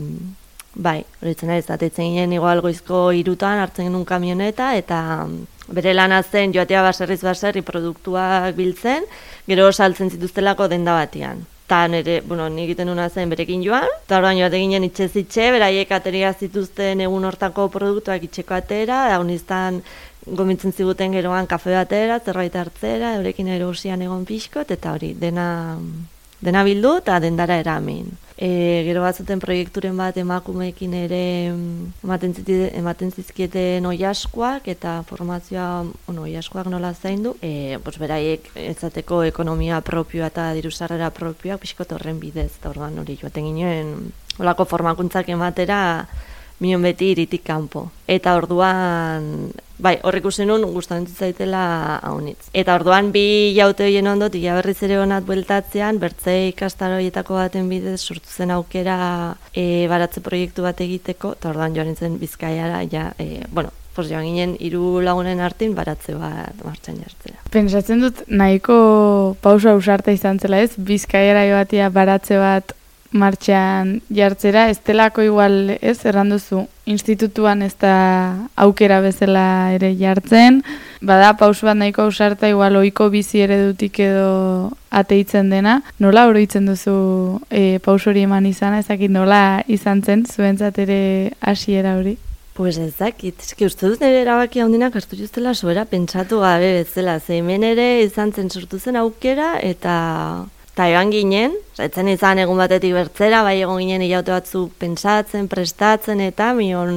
bai, horitzen ari, zatetzen ginen igual goizko irutan, hartzen genuen kamioneta, eta bere lana zen joatea baserriz baserri produktuak biltzen, gero saltzen zituztelako denda batian. Eta nire, bueno, nik egiten nuna zen berekin joan, eta orduan joate ginen itxez itxe, beraiek ateria zituzten egun hortako produktuak itxeko atera, da honiztan gomintzen ziguten geroan kafe batera, zerbait hartzera, eurekin erosian egon pixkot, eta hori, dena, dena bildu eta dendara eramin. E, gero batzuten proiekturen bat emakumeekin ere ematen, ziti, ematen zizkieten oiaskoak eta formazioa, bueno, oiaskoak nola zaindu, e, pues beraiek ezateko ekonomia propioa eta dirusarrera propioak pixkot horren bidez, eta orduan hori joaten ginen olako formakuntzak ematera minon beti iritik kanpo. Eta orduan, bai, horrik usen nun gustatzen zaitela haunitz. Eta orduan bi jaute horien ondot, ia berriz ere honat bueltatzean, bertze ikastaroietako baten bidez sortu zen aukera e, baratze proiektu bat egiteko, eta orduan joan nintzen Bizkaiara, ja, e, bueno, pues joan ginen hiru lagunen artin baratze bat martxan jartzera. Pentsatzen dut nahiko pausa ausarta izan zela ez, Bizkaiara joatia baratze bat martxan jartzera, ez delako igual, ez, erranduzu, institutuan ez da aukera bezala ere jartzen, bada pausu bat nahiko ausarta, igual ohiko bizi eredutik edo ateitzen dena, nola oroitzen duzu e, pausu hori eman izana, ezakit nola izan zen, zuentzat ere hasiera hori? Pues ez dakit, eski uste dut nire erabaki handinak hartu justela sobera pentsatu gabe bezala, ze hemen ere izan zen sortu zen aukera, eta eta egan ginen, etzen izan egun batetik bertzera, bai egon ginen hilaute batzuk pentsatzen, prestatzen, eta mion,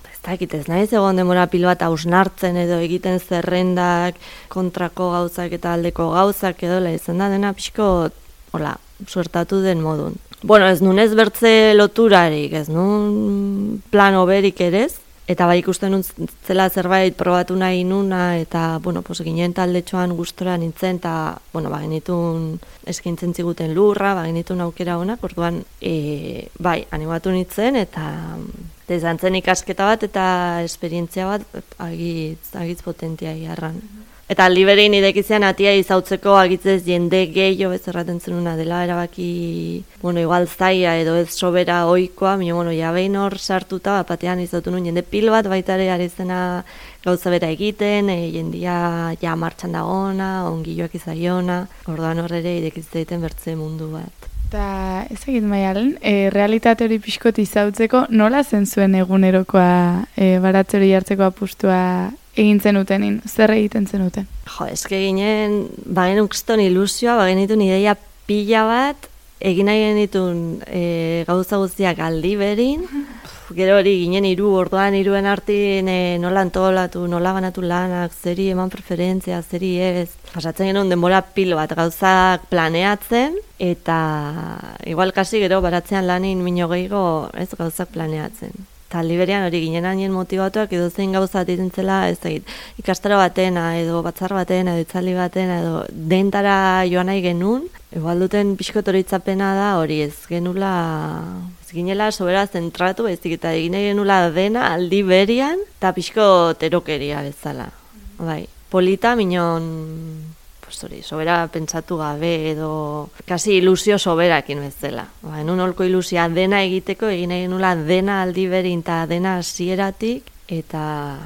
ez dakit ez naiz egon demora pilo bat hausnartzen edo egiten zerrendak, kontrako gauzak eta aldeko gauzak edo, izan da dena pixko, hola, suertatu den modun. Bueno, ez nun ez bertze loturarik, ez nun plan oberik ere ez, eta bai ikusten nun zela zerbait probatu nahi nuna, eta, bueno, pues, ginen taldetxoan gustora nintzen, eta, bueno, ba, genitun eskintzen ziguten lurra, ba, genitun aukera honak, orduan, e, bai, animatu nintzen, eta, eta izan zen ikasketa bat, eta esperientzia bat, agitz, agitz potentia iarran. Eta aldi berein idekizian atia izautzeko agitzez jende gehiago ez erraten zenuna dela erabaki, bueno, igual zaia edo ez sobera oikoa, mino, bueno, ja behin hor sartuta, batean izautu nuen jende pil bat baitare ari zena gauza bera egiten, e, jendia ja martxan dagona, ongilloak izaiona, orduan hor ere idekiz bertze mundu bat. Eta ez egit maialen, e, realitate hori pixkot izautzeko, nola zen zuen egunerokoa e, baratze hori jartzeko apustua egin zenutenin, zer egiten zenuten? Jo, eske ginen, bagen ukston ilusioa, bagen ditun ideia pila bat, egin nahi genitun e, gauza guztiak aldi berin, gero hori ginen hiru orduan hiruen artin e, nola antolatu, nola banatu lanak, zeri eman preferentzia, zeri ez. Pasatzen genuen denbora pilo bat gauzak planeatzen, eta igual kasi gero baratzean lanin mino gehiago ez gauzak planeatzen. Eta liberian hori ginen hain motibatuak edo zein gauza atitzen zela, ez egit, ikastaro batena, edo batzar batena, edo itzali batena, edo dentara joan nahi genuen, igual duten pixkot horitzapena da hori ez genula, ez ginela sobera zentratu, ez eta egin nahi genula dena aldi berian, eta pixkot erokeria bezala. Bai, polita minon, pues hori, sobera pentsatu gabe edo kasi ilusio soberakin bezala. Ba, enun holko ilusia dena egiteko, egin egin nula dena aldi berin eta dena hasieratik, eta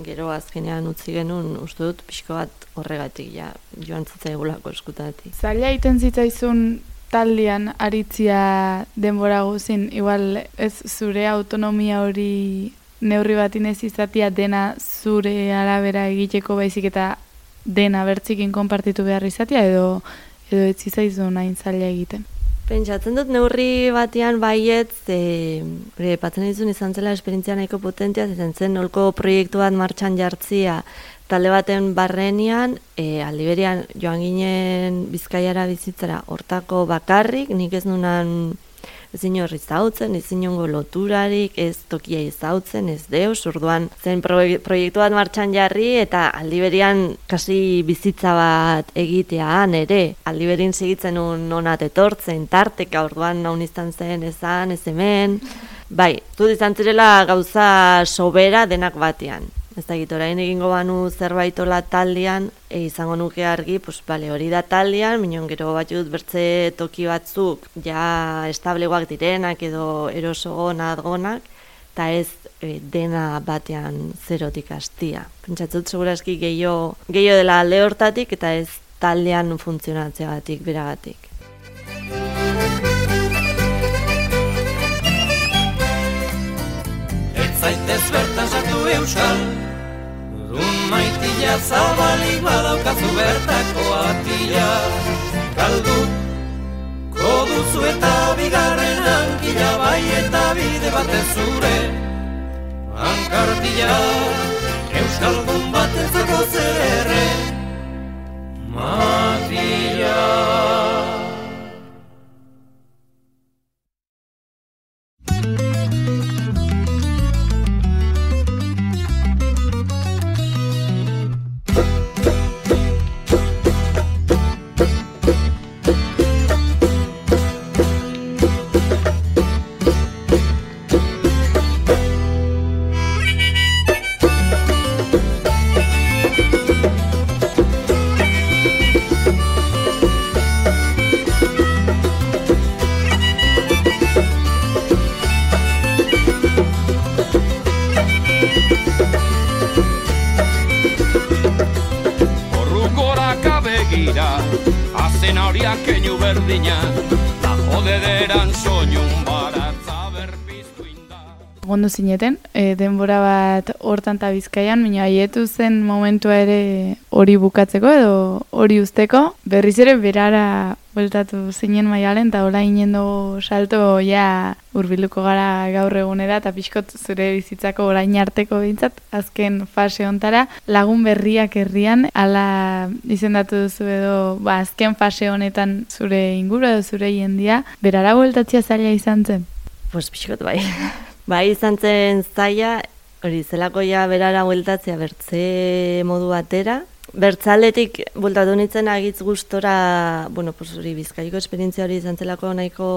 gero azkenean utzi genuen uste dut pixko bat horregatik ja, joan zitzaigulako eskutatik. Zaila egiten zitzaizun taldean aritzia denbora guzin, igual ez zure autonomia hori neurri batin ez izatia dena zure arabera egiteko baizik eta dena bertzikin konpartitu behar izatea edo edo ez zizaizun hain zaila egiten. Pentsatzen dut neurri batean baiet, e, patzen dizun izan zela esperientzia nahiko potentia, izan zen nolko proiektu bat martxan jartzia talde baten barrenean, e, aldiberian joan ginen Bizkaiara bizitzara hortako bakarrik, nik ez nunan ezin horri zautzen, ezin hongo loturarik, ez tokia izautzen, ez deus, orduan zen proiektu bat martxan jarri eta aldiberian kasi bizitza bat egitean ere, aldiberin segitzen un onat etortzen, tarteka, orduan naun izan zen, ezan, ez hemen, bai, dut izan zirela gauza sobera denak batean. Ez dakit, orain egingo banu zerbaitola taldean, e, izango nuke argi, pues, bale, hori da taldean, minon gero batut bertze toki batzuk, ja establegoak direnak edo erosogonak gonak, eta ez e, dena batean zerotik hastia. Pentsatzut, segurazki gehiago gehiago dela alde hortatik, eta ez taldean funtzionatzeagatik, beragatik. Ez zaitez bertan sartu euskal, dun maitila zabalik badaukazu bertako atila. Galdu, koduzu eta bigarren hankila, bai eta bide batez zure hankartila. Euskaldun batentzako zer erre, matila. Azen horiak keinu berdina, da jodederan soinun baratza berpiztu inda. Gondo zineten, e, denbora bat hortan eta Bizkaian, baina haietu zen momentua ere hori bukatzeko edo hori usteko. Berriz ere berara bueltatu zinen Maialen, eta hola inen dugu salto ja hurbilduko gara gaur egunera, eta pixkot zure bizitzako orain arteko behintzat, azken fase hontara, lagun berriak herrian, ala izendatu duzu edo, ba, azken fase honetan zure inguru edo zure jendia, berara bueltatzea zaila izan zen? Pues pixkot bai. Bai izan zen zaila, hori zelako ja berara bueltatzea bertze modu batera. Bertzaletik bueltatu nintzen agitz gustora, bueno, pues hori Bizkaiko esperientzia hori izan zelako nahiko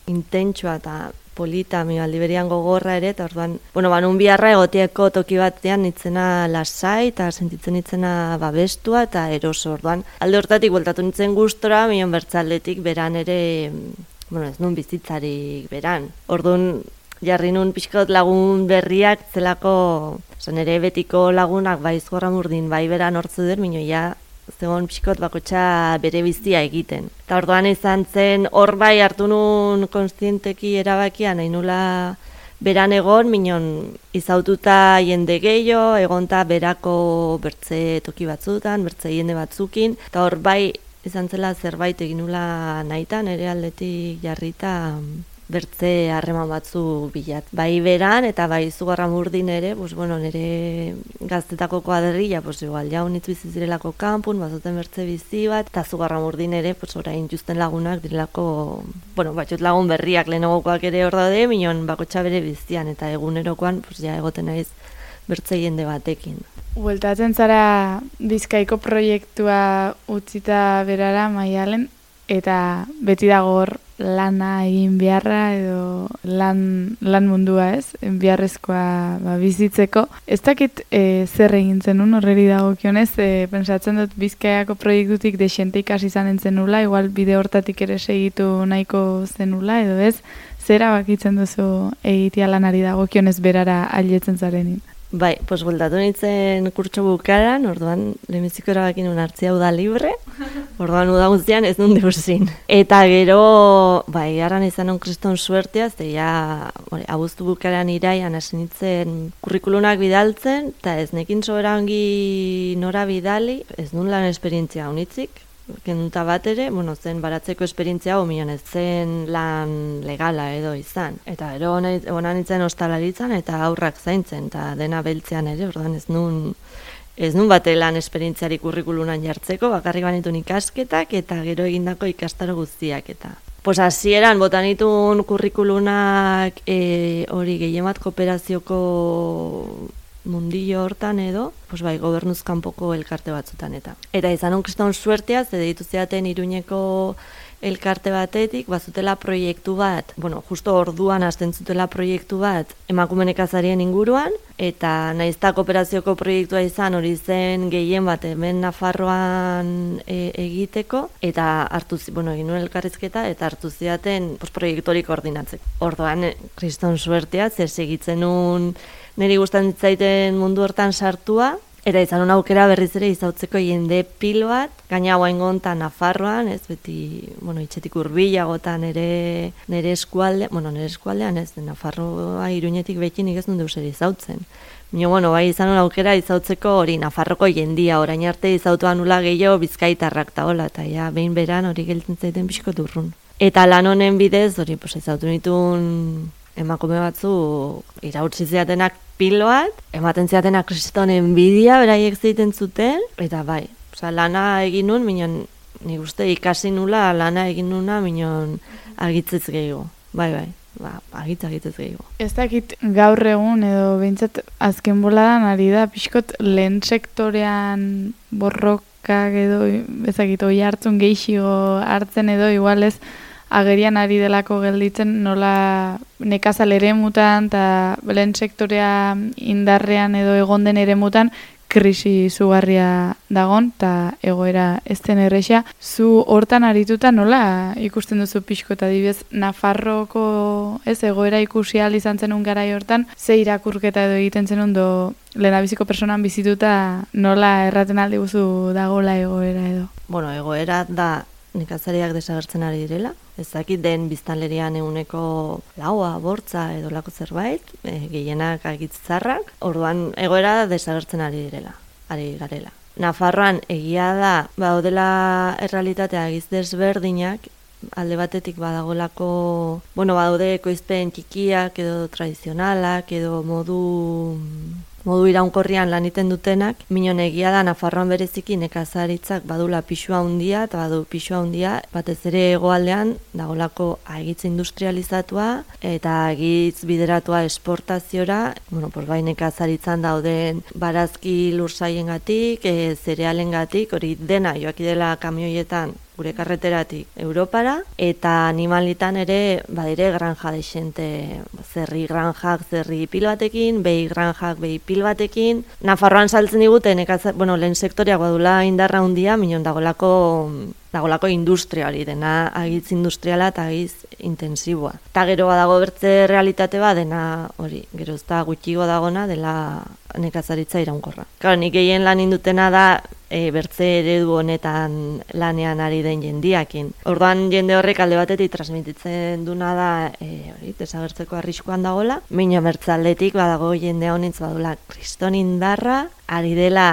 intentsua eta polita, mi aldi berian gogorra ere, eta orduan, bueno, banun biharra egotieko toki batean nitzena lasai, eta sentitzen nitzena babestua eta eroso, orduan. Alde hortatik bueltatu nintzen gustora, mion bertzaletik beran ere, bueno, ez nun bizitzarik beran. Orduan, jarri nun pixkot lagun berriak zelako, zan ere betiko lagunak bai Zugarramurdin bai beran hortzu dut, mino ja zegoen pixkot bakotxa bere bizia egiten. Eta orduan izan zen hor bai hartu nun konstienteki erabakia nahi nula beran egon, minon izaututa jende gehiago, egonta berako bertze toki batzutan, bertze jende batzukin, eta hor bai izan zela zerbait egin nula nahitan, ere aldetik jarrita bertze harreman batzu bilat. Bai beran eta bai Zugarramurdin ere, pues, bueno, nire gaztetako kuadrilla, pues, igual, jaun hitz bizi zirelako kanpun, bazuten bertze bizi bat, eta Zugarramurdin ere, pues, orain justen lagunak direlako, bueno, batxot lagun berriak lehenagokoak ere hor daude, minon bakotxa bere bizian, eta egunerokoan, pues, ja egoten naiz bertze jende batekin. Bueltatzen zara Bizkaiko proiektua utzita berara Maialen, eta beti dago hor lana egin beharra edo lan, lan mundua, ez? Beharrezkoa ba, bizitzeko. Ez dakit e, zer egin zenun horreri dagokionez, e, pentsatzen dut Bizkaiako proiektutik desente ikasi izan zenula, igual bide hortatik ere segitu nahiko zenula, edo ez? Zera bakitzen duzu egitea lanari dagokionez berara ailetzen zarenin? Bai, pues bueltatu nintzen kurtso bukaran, orduan lehenbiziko erabakin nun hartzia uda libre, orduan uda guztian ez nun deusin. Eta gero, bai, garran izan non kriston suertea, ze ja, abuztu bukaran iraian hasi nintzen kurrikulunak bidaltzen, eta ez nekin sobera ongi nora bidali, ez nun lan esperientzia honitzik, kenduta bat ere, bueno, zen baratzeko esperientzia hau mion ez zen lan legala edo izan. Eta gero hona nintzen ostalaritzan eta aurrak zaintzen, eta dena beltzean ere, orduan ez nun, ez nun bate lan esperientziari kurrikulunan jartzeko, bakarrik banitun ikasketak eta gero egindako ikastaro guztiak eta. Pues hasieran botanitun kurrikulunak e, hori gehiemat kooperazioko mundillo hortan edo, pues bai, gobernuz kanpoko elkarte batzutan eta. Eta izan on kriston suertea, ze deitu zeaten Iruñeko elkarte batetik, bazutela proiektu bat, bueno, justo orduan hasten zutela proiektu bat emakume nekazarien inguruan, eta naizta kooperazioko proiektua izan hori zen gehien bat hemen Nafarroan e, egiteko, eta hartu zi, bueno, egin nuen elkarrizketa, eta hartu zidaten pues, proiektu hori koordinatzeko. Orduan, e, kriston suertea, zer segitzen nun niri gustatzen zaiten mundu hortan sartua, eta izan un aukera berriz ere izautzeko jende pil bat, gaina guain gontan Nafarroan, ez beti, bueno, itxetik hurbilagotan nere, nere eskualde, bueno, nere eskualdean ez, Nafarroa Iruñetik behinik ez nun deus ere izautzen. Baina, bueno, bai izan un aukera izautzeko hori Nafarroko jendia, orain arte izautuan nula gehiago bizkaitarrak eta hola, eta ja, behin beran hori geltzen zaiten pixko durrun. Eta lan honen bidez, hori, pues, izautu nituen emakume batzu irautsi ziatenak pilo bat, ematen ziatenak kriston enbidia beraiek zeiten zuten, eta bai, oza, lana egin nun, minon, nik uste ikasi nula lana egin nuna, minon argitzez gehiago, bai, bai, ba, agitz agitzez gehiago. Ez dakit gaur egun edo behintzat azken boladan ari da, pixkot lehen sektorean borrokak edo, ezakit, oi hartzun gehiago hartzen edo, igual ez, agerian ari delako gelditzen nola nekazal eremutan eta lehen sektorea indarrean edo egon den eremutan krisi zugarria dagon eta egoera ez den erresa. Zu hortan arituta nola ikusten duzu pixko eta dibez Nafarroko ez egoera ikusi ahal izan zenun garai hortan, ze irakurketa edo egiten zenun do lehendabiziko personan bizituta nola erraten aldi guzu dagola egoera edo? Bueno, egoera da nekazariak desagertzen ari direla. Ez dakit den biztanlerian eguneko laua, bortza edo lako zerbait, e, gehienak agitzarrak, orduan egoera desagertzen ari direla, ari garela. Nafarroan egia da, baudela errealitatea egiz desberdinak, alde batetik badagolako, bueno, badaude ekoizpen txikiak edo tradizionalak edo modu modu iraunkorrian lan iten dutenak, minon egia da Nafarroan bereziki nekazaritzak badula pixua handia eta badu pixua handia, batez ere hegoaldean dagolako agitz industrializatua eta agitz bideratua esportaziora, bueno, pues bai nekazaritzan dauden barazki lursaiengatik, e, zerealengatik, hori dena joaki dela kamioietan gure karreteratik Europara, eta animalitan ere badire granja desente, zerri granjak zerri pil batekin, behi granjak behi pil batekin. Nafarroan saltzen digute, nekazar, bueno, lehen sektoreak badula indarra handia, minon dagolako, dagolako industria hori, dena agitz industriala eta agitz intensiboa. Eta gero badago bertze realitate bat, dena hori, gero ez da gutxigo dagona dela nekazaritza iraunkorra. Claro, nik gehien lan indutena da e, bertze eredu honetan lanean ari den jendiakin. Orduan jende horrek alde batetik transmititzen duna da e, hori, desagertzeko arriskuan dagola, mina bertze aldetik badago jende honitz badula kriston indarra, ari dela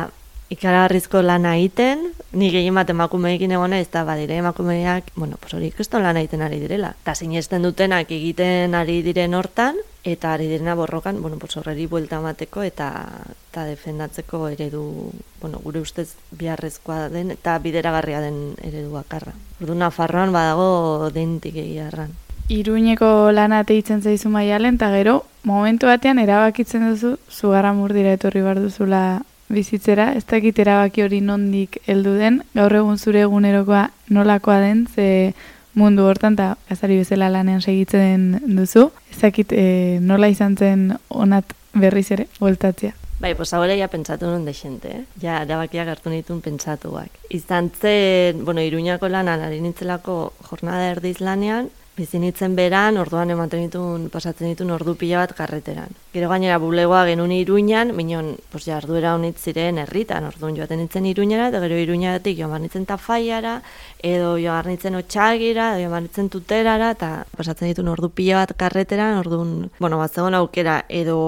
ikaragarrizko lana egiten, ni gehien bat emakumeekin egona ez da badire emakumeak, bueno, pues hori kriston lana egiten ari direla. Eta sinesten dutenak egiten ari diren hortan, eta ari direna borrokan, bueno, pues horreri buelta emateko eta eta defendatzeko eredu, bueno, gure ustez biharrezkoa den eta bideragarria den eredu bakarra. Orduan Nafarroan badago dentik egia erran. Iruñeko lana teitzen zaizu Maialen, eta gero, momentu batean erabakitzen duzu, Zugarramurdira etorri behar duzula bizitzera, ez dakit erabaki hori nondik heldu den, gaur egun zure egunerokoa nolakoa den, ze mundu hortan, eta gazari bezala lanean segitzen duzu, ez dakit e, nola izan zen onat berriz ere, bueltatzea. Bai, pues ahora ya pentsatu nun dexente, eh? Ja, erabakiak hartu nituen pentsatuak. Izan zen, bueno, Iruñako lanan ari nintzelako jornada erdiz lanean, bizi nintzen beran, orduan ematen ditun, pasatzen ditun ordu pila bat karreteran. Gero gainera bulegoa genuen Iruñan, minon, pues jarduera honit ziren herritan, orduan joaten nintzen Iruñara, eta gero Iruñaratik joan bar nintzen Tafaiara, edo joan bar nintzen Otxagira, edo joan bar nintzen Tuterara, eta pasatzen ditun ordu pila bat karreteran, orduan, bueno, bat zegoen aukera, edo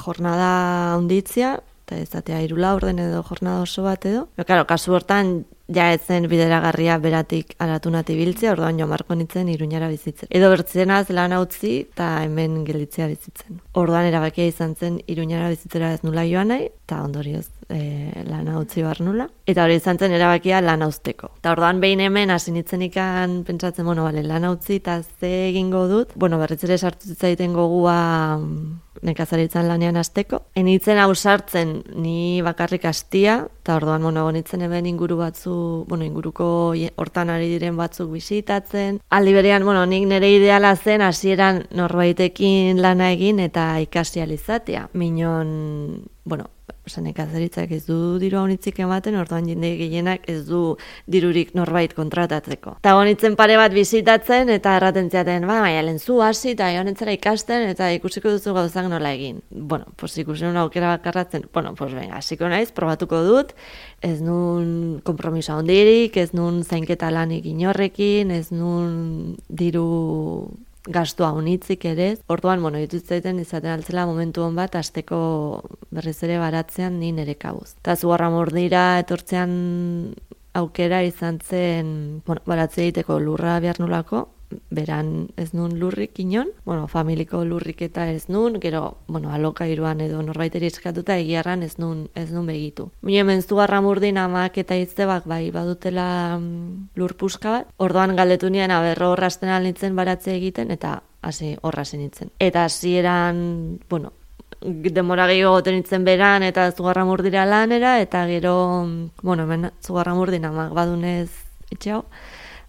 jornada honditzia, eta ez datea irula orden edo jornada oso bat edo. Pero, claro, kasu hortan, ja ez zen bideragarria beratik aratunat ibiltzea, orduan joan marko nintzen Iruñara bizitzen. Edo bertzenaz lan utzi eta hemen gelditzea bizitzen. Orduan erabakia izan zen Iruñara bizitzera ez nula joan nahi, eta ondorioz e, lan utzi bar nula. Eta hori izan zen erabakia lan uzteko. Eta orduan behin hemen hasi nintzen ikan pentsatzen, bueno, bale, lan utzi eta ze egingo dut, bueno, berriz ere sartu zitzaiten gogua nekazaritzan lanean hasteko. Enitzen ausartzen ni bakarrik hastia, Eta orduan, bueno, gonitzen hemen inguru batzu, bueno, inguruko hortan ari diren batzuk bisitatzen. Aldi berean, bueno, nik nire ideala zen hasieran norbaitekin lana egin eta ikasi ahal izatea. Minon, bueno, nekazaritzak ez du diru haunitzik ematen, orduan jende gehienak ez du dirurik norbait kontratatzeko. Eta gonitzen pare bat bisitatzen eta erraten ziaten, ba, baina lehen zu hasi eta honetzera ikasten eta ikusiko duzu gauzak nola egin. Bueno, pues ikusi nun aukera bakarratzen, bueno, pues venga, hasiko naiz, probatuko dut, ez nun konpromiso handirik, ez nun zainketa lanik inorrekin, ez nun diru gastua unitzik ere. Orduan, bueno, dituzten izaten altzela momentu hon bat hasteko berriz ere baratzean ni nere kabuz. Eta Zugarramurdira etortzean aukera izan zen, bueno, baratze egiteko lurra behar nulako, beran ez nun lurrik inon, bueno, familiko lurrik eta ez nun, gero, bueno, alokairuan edo norbaiteri eskatuta egiarran ez nun, ez nun begitu. Mine hemen Zugarramurdin amak eta iztebak bai badutela mm, lur puska bat, orduan galdetu nien aberro horrazten alnitzen baratze egiten eta hasi horra nintzen. Eta hasieran, bueno, demora gehiago goten nintzen beran eta Zugarramurdira lanera eta gero, bueno, hemen Zugarramurdin amak badunez etxe hau,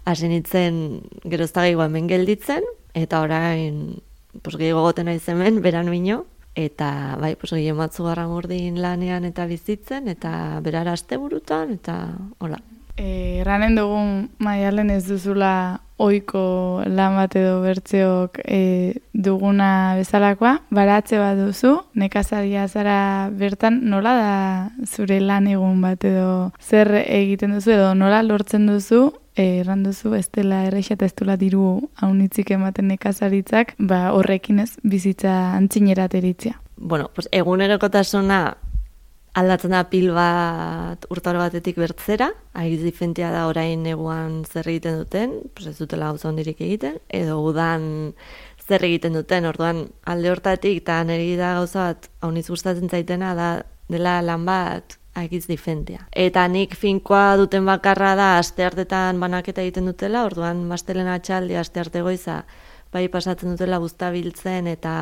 hasi nintzen gerozta gehiago hemen gelditzen, eta orain pues, gehiago goten naiz hemen, beran bino, eta bai, pues, gehien bat Zugarramurdin lanean eta bizitzen, eta berara asteburutan, eta hola. E, erranen dugun Maialen ez duzula ohiko lan bat edo bertzeok e, duguna bezalakoa, baratze bat duzu, nekazaria zara bertan, nola da zure lan egun bat edo zer egiten duzu edo nola lortzen duzu, e, erran duzu ez dela erreixa eta ez dela diru haunitzik ematen nekazaritzak, ba horrekin ez bizitza antzinerat eritzea. Bueno, pues egunerokotasuna aldatzen da pil bat urtaro batetik bertzera, agiz difentia da orain neguan zer egiten duten, pues ez dutela gauza hondirik egiten, edo udan zer egiten duten, orduan alde hortatik eta niri da gauza bat hauniz gustatzen zaitena da dela lan bat agiz difentia. Eta nik finkoa duten bakarra da asteartetan banaketa egiten dutela, orduan mastelen atxaldi astearte goiza bai pasatzen dutela buztabiltzen eta,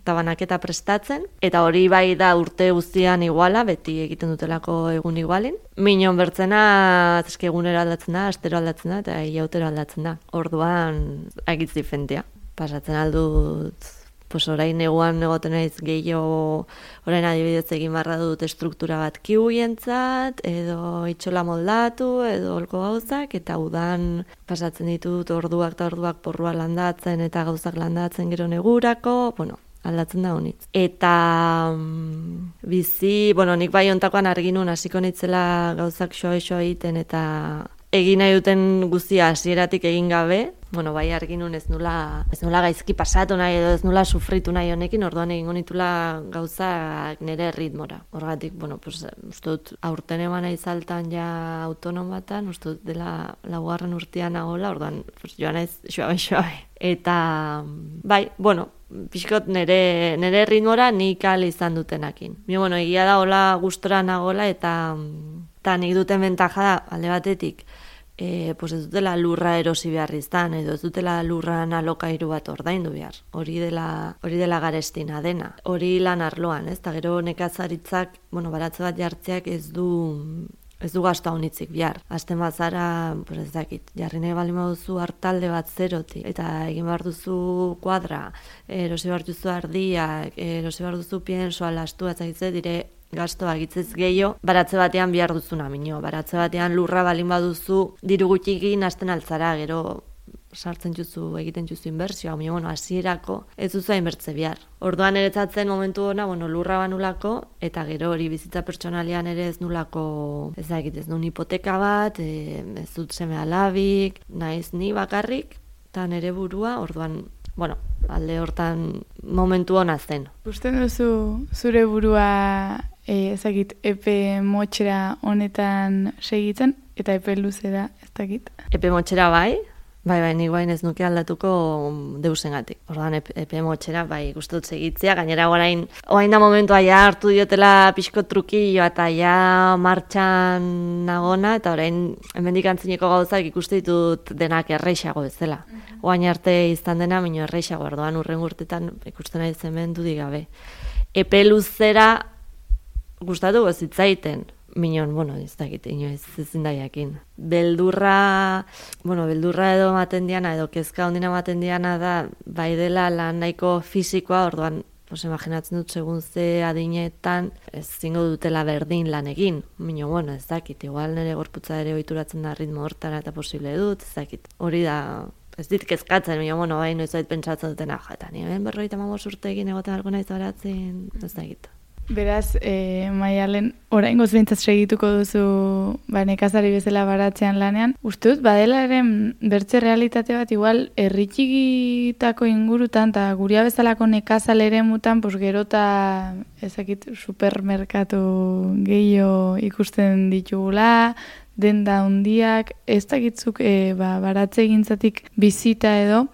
eta banaketa prestatzen. Eta hori bai da urte guztian iguala, beti egiten dutelako egun igualin. Minon bertzena, eske egunero aldatzen da, astero aldatzen da, eta iautero aldatzen da. Orduan, agitz difentia. Pasatzen aldut, pues orain neguan egoten naiz gehiago, orain adibidez egin barra dut estruktura bat kiuientzat, edo itxola moldatu, edo holko gauzak, eta udan pasatzen ditut orduak eta orduak porrua landatzen, eta gauzak landatzen gero negurako, bueno, aldatzen da honitz. Eta mm, bizi, bueno, nik bai ontakoan arginun hasiko nitzela gauzak xoa-xoa egiten, eta egin nahi duten guztia hasieratik egin gabe, bueno, bai arginun ez nula, ez nula gaizki pasatu nahi edo ez nula sufritu nahi honekin, orduan egingo nitula gauzak nire ritmora. Horgatik, bueno, pues, uste dut aurten eman nahi zaltan ja autonomatan, uste dut dela laugarren urtean nagoela, orduan pues, joan naiz xoabe-xoabe. Eta, bai, bueno, pixkot nire, nire ritmora nik ahal izan dutenakin. Mi, bueno, egia da hola gustora nagoela eta, eta nik duten bentaja da, alde batetik, E, pues ez dutela lurra erosi behar izan, edo ez dutela lurran alokairu bat ordaindu behar. Hori dela, hori dela garestina dena. Hori lan arloan, ez? Ta gero nekazaritzak, bueno, baratze bat jartzeak ez du ez du gastu haunitzik behar. Hasten bazara, pues ez dakit, jarri nahi baldin baduzu hartalde bat zerotik, eta egin behar duzu kuadra, erosi behar duzu ardiak, erosi behar duzu piensoa, lastu, ez dire, gastoa egitzez gehiago, baratze batean behar duzuna, minio. Baratze batean lurra balin baduzu, diru gutxikin hasten altzara, gero sartzen juzu, egiten juzu inbertsioa, minio, bueno, hasierako ez duzu hainbertze behar. Orduan eretzatzen momentu ona, bueno, lurra banulako, eta gero hori bizitza pertsonalian ere ez nulako, ez da egit, ez nun hipoteka bat, e, ez dut seme alabik, naiz ni bakarrik, eta nere burua, orduan, bueno, alde hortan momentu ona zen. Usten duzu zure burua e, ezagit, epe motxera honetan segitzen, eta epe luzera ez dakit? Epe motxera bai, bai, bai, nik bain ez nuke aldatuko deusengatik. Orduan epe, epe motxera bai gustut segitzea, gainera orain, orain da momentua ja hartu diotela pixko trukilloa eta ja martxan nagona, eta orain hemendik antzineko gauzak ikuste ditut denak erreixago bezala. Oain arte izan dena, mino erreixago, orduan urren urtetan ikusten nahi hemen dudik gabe. Epe luzera gustatu gozitzaiten, Minon, bueno, ez dakit, inoiz ezin da jakin. Beldurra, bueno, beldurra edo ematen diana, edo kezka ondina ematen diana da, bai dela lan nahiko fisikoa, orduan, pues imaginatzen dut segun ze adinetan ez zingo dutela berdin lan egin. Mino, bueno, ez dakit, igual nire gorputza ere ohituratzen da ritmo hortara eta posible dut, ez dakit. Hori da, ez dit kezkatzen, mino, bueno, bai noiz bait pentsatzen dutena, jata, nire berroita mamos urte egin egoten alko naiz baratzen, ez dakit. Beraz, e, Maialen, oraingoz behintzat segituko duzu ba, nekazari bezala baratzean lanean. Uste dut, badela ere bertze realitate bat, igual, herritxikitako ingurutan, eta guria bezalako nekazal ere mutan, pues, gerota, ezakit, supermerkatu gehiago ikusten ditugula, denda hundiak, ez dakitzuk e, ba, baratze egintzatik bizita edo,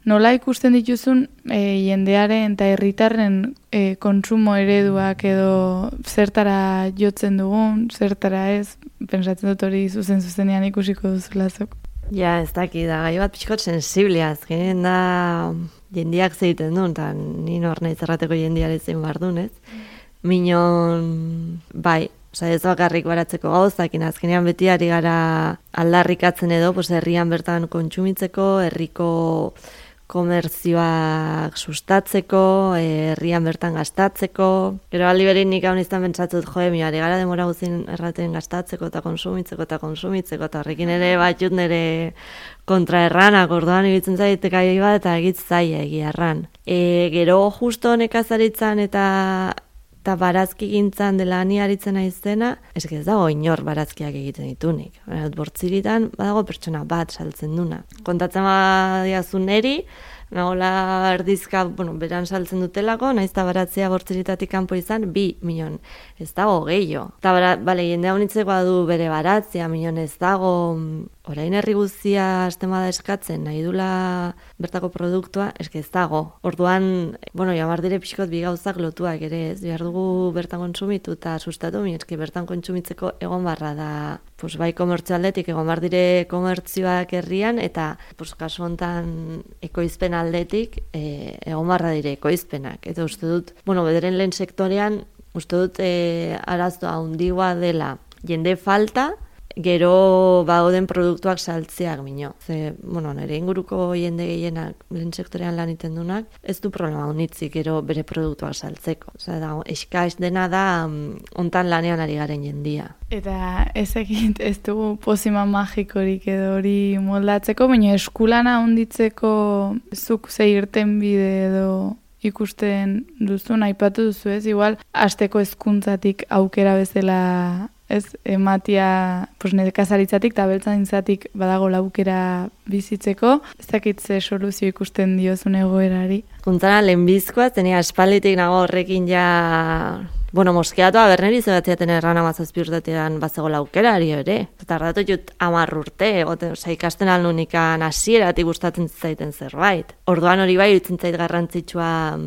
nola ikusten dituzun e, jendearen eta herritarren e, kontsumo ereduak edo zertara jotzen dugun, zertara ez, pentsatzen dut hori zuzen zuzenean ikusiko duzulazok. Ja, ez daki, da gai bat pixkot sensiblia, azkenean da jendiak zeiten duen, eta ni nor nahi zerrateko jendiare zein behar duen, ez? Minon, bai, oza, ez bakarrik baratzeko gauzak, azkenean beti ari gara aldarrikatzen edo, pues, herrian bertan kontsumitzeko, herriko komerzioak sustatzeko, herrian bertan gastatzeko. Gero aldi berin nik hau niztan pentsatzut, joe, mi ari gara demora guzin erraten gastatzeko eta konsumitzeko eta konsumitzeko, eta horrekin ere batxut nire kontraerranak, orduan ibitzen zaitek gai bat eta egitz zaila egia erran. E, gero justo nekazaritzan eta eta barazki gintzan dela ni aritzen aizena, eske ez dago inor barazkiak egiten ditunik. Bortziritan badago pertsona bat saltzen duna. Kontatzen badiazu neri, nagola erdizka, bueno, beran saltzen dutelako, naiz eta baratzea bortziritatik kanpo izan, bi milion, ez dago gehiago. Eta bale, jende honitzekoa du bere baratzea, milion ez dago, orain herri guztia astemada eskatzen, nahi dula bertako produktua, eske ez dago. Orduan, bueno, jamar dire pixkot bi gauzak lotuak ere, ez, behar dugu bertan kontsumitu eta sustatu, mi eske bertan kontsumitzeko egon barra da, pues, bai komertzio aldetik, egon bar dire komertzioak herrian, eta pues, kasu hontan ekoizpen aldetik e, egon barra dire ekoizpenak. Eta uste dut, bueno, bederen lehen sektorean, uste dut e, arazoa handigoa dela jende falta, gero bagoden produktuak saltzeak mino. Ze, bueno, nire inguruko jende gehienak lehen sektorean lan iten dunak, ez du problema honitzik gero bere produktuak saltzeko. Osea, da, eskaiz dena da hontan lanean ari garen jendia. Eta ez egit, ez dugu pozima magikorik edo hori moldatzeko, baina eskulana honditzeko zuk ze irten bide edo ikusten duzu, aipatu duzu ez, igual, hasteko hezkuntzatik aukera bezala ez, ematia, pues, nekazaritzatik eta beltzaintzatik badago aukera bizitzeko, ez dakit ze soluzio ikusten diozun egoerari. Kuntzara lehenbizkoa, zenia espalditik nago horrekin ja, bueno, moskeatua berneri zebatziaten erran amazazpi urtetean bazegoela aukerari ere. Eta ardatu jut amar urte, oza, ikasten alnunikan hasieratik gustatzen zaiten zerbait. Orduan hori bai iruditzen zait garrantzitsua,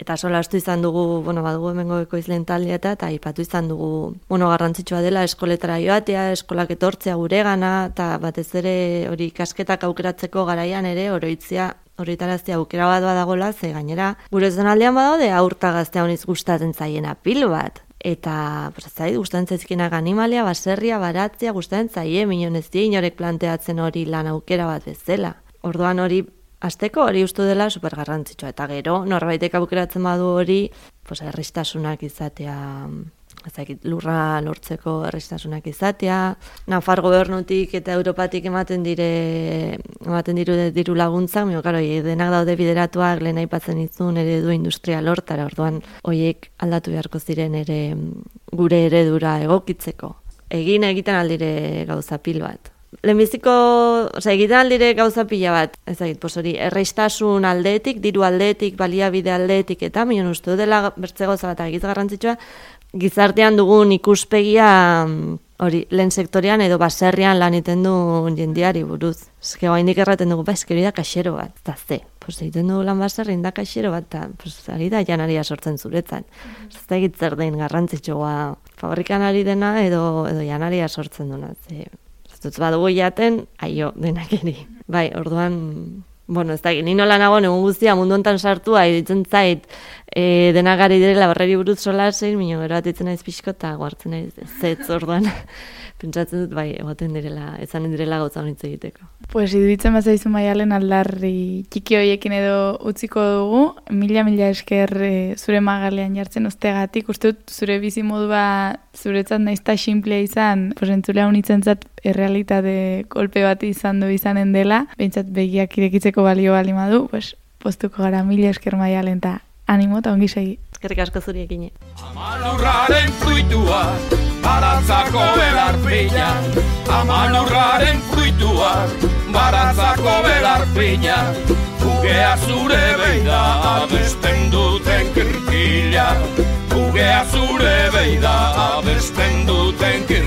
eta sola astu izan dugu, bueno, badugu hemengo ekoizleen taldea eta aipatu izan dugu, bueno, garrantzitsua dela eskoletara joatea, eskolak etortzea guregana, eta batez ere hori ikasketak aukeratzeko garaian ere oroitzea horretaraztea aukera bat badagola, ze gainera gure zonaldean badaude aurta gaztea honiz gustatzen zaiena pil bat. Eta, pues, zait, gustatzen zaizkinak animalia, baserria, baratzea, gustatzen zaie, minon ez die inorek planteatzen hori lan aukera bat bezala. Orduan hori, hasteko hori ustu dela super garrantzitsua. Eta gero, norbaitek aukeratzen badu hori, pues, erristasunak izatea, ezakit, lurra lortzeko erristasunak izatea, Nafar gobernutik eta Europatik ematen dire ematen diru diru laguntzak, mio claro, denak daude bideratuak, lehen aipatzen dizun eredu industrial hortara, orduan hoiek aldatu beharko ziren ere gure eredura egokitzeko. Egin egiten aldire gauza pil bat. Lehenbiziko, osea, egiten aldire gauza pila bat, ezagit, pos hori, erreistasun aldetik, diru aldetik, baliabide aldetik, eta minon uste dela bertze gauza bat egiz garrantzitsua, gizartean dugun ikuspegia hori lehen sektorean edo baserrian lan iten du jendiari buruz. Eske oraindik erraten dugu, ba, eske hori da kaxero bat, eta ze. Pues egiten dugu lan baserrin da kaxero bat, eta pues, ari da janaria sortzen zuretzan. Ez da egitzer den garrantzitsua fabrikan ari dena edo, edo janaria sortzen duna. Ze, ez dut badugu jaten, aio denak eri. Bai, orduan... Bueno, ez da, ni nola nago egun guztia mundu hontan sartua, iruditzen zait E, dena gari direla barreri buruz solasein, minio gero atitzen naiz pixko eta guartzen naiz zetz orduan. Pentsatzen dut, bai, egoten direla, ezanen direla gauza honitz egiteko. Pues iduditzen bazaizu Maialen aldarri txiki hoiekin edo utziko dugu, mila mila esker e, zure magalean jartzen ustegatik, uste dut zure bizimodua zuretzat naizta simplea izan, pues entzulea unitzentzat errealitate kolpe bat izan du izanen dela, behintzat begiak irekitzeko balio bali madu, pues postuko gara mila esker Maialen eta animo eta ongi segi. Eskerrik asko zuriekine. Amalurraren fruitua, baratzako belarpina. Amalurraren fruitua, baratzako belarpina. Ugea zure beida, abesten duten kirkila. Ugea zure beida, abesten duten kirkila.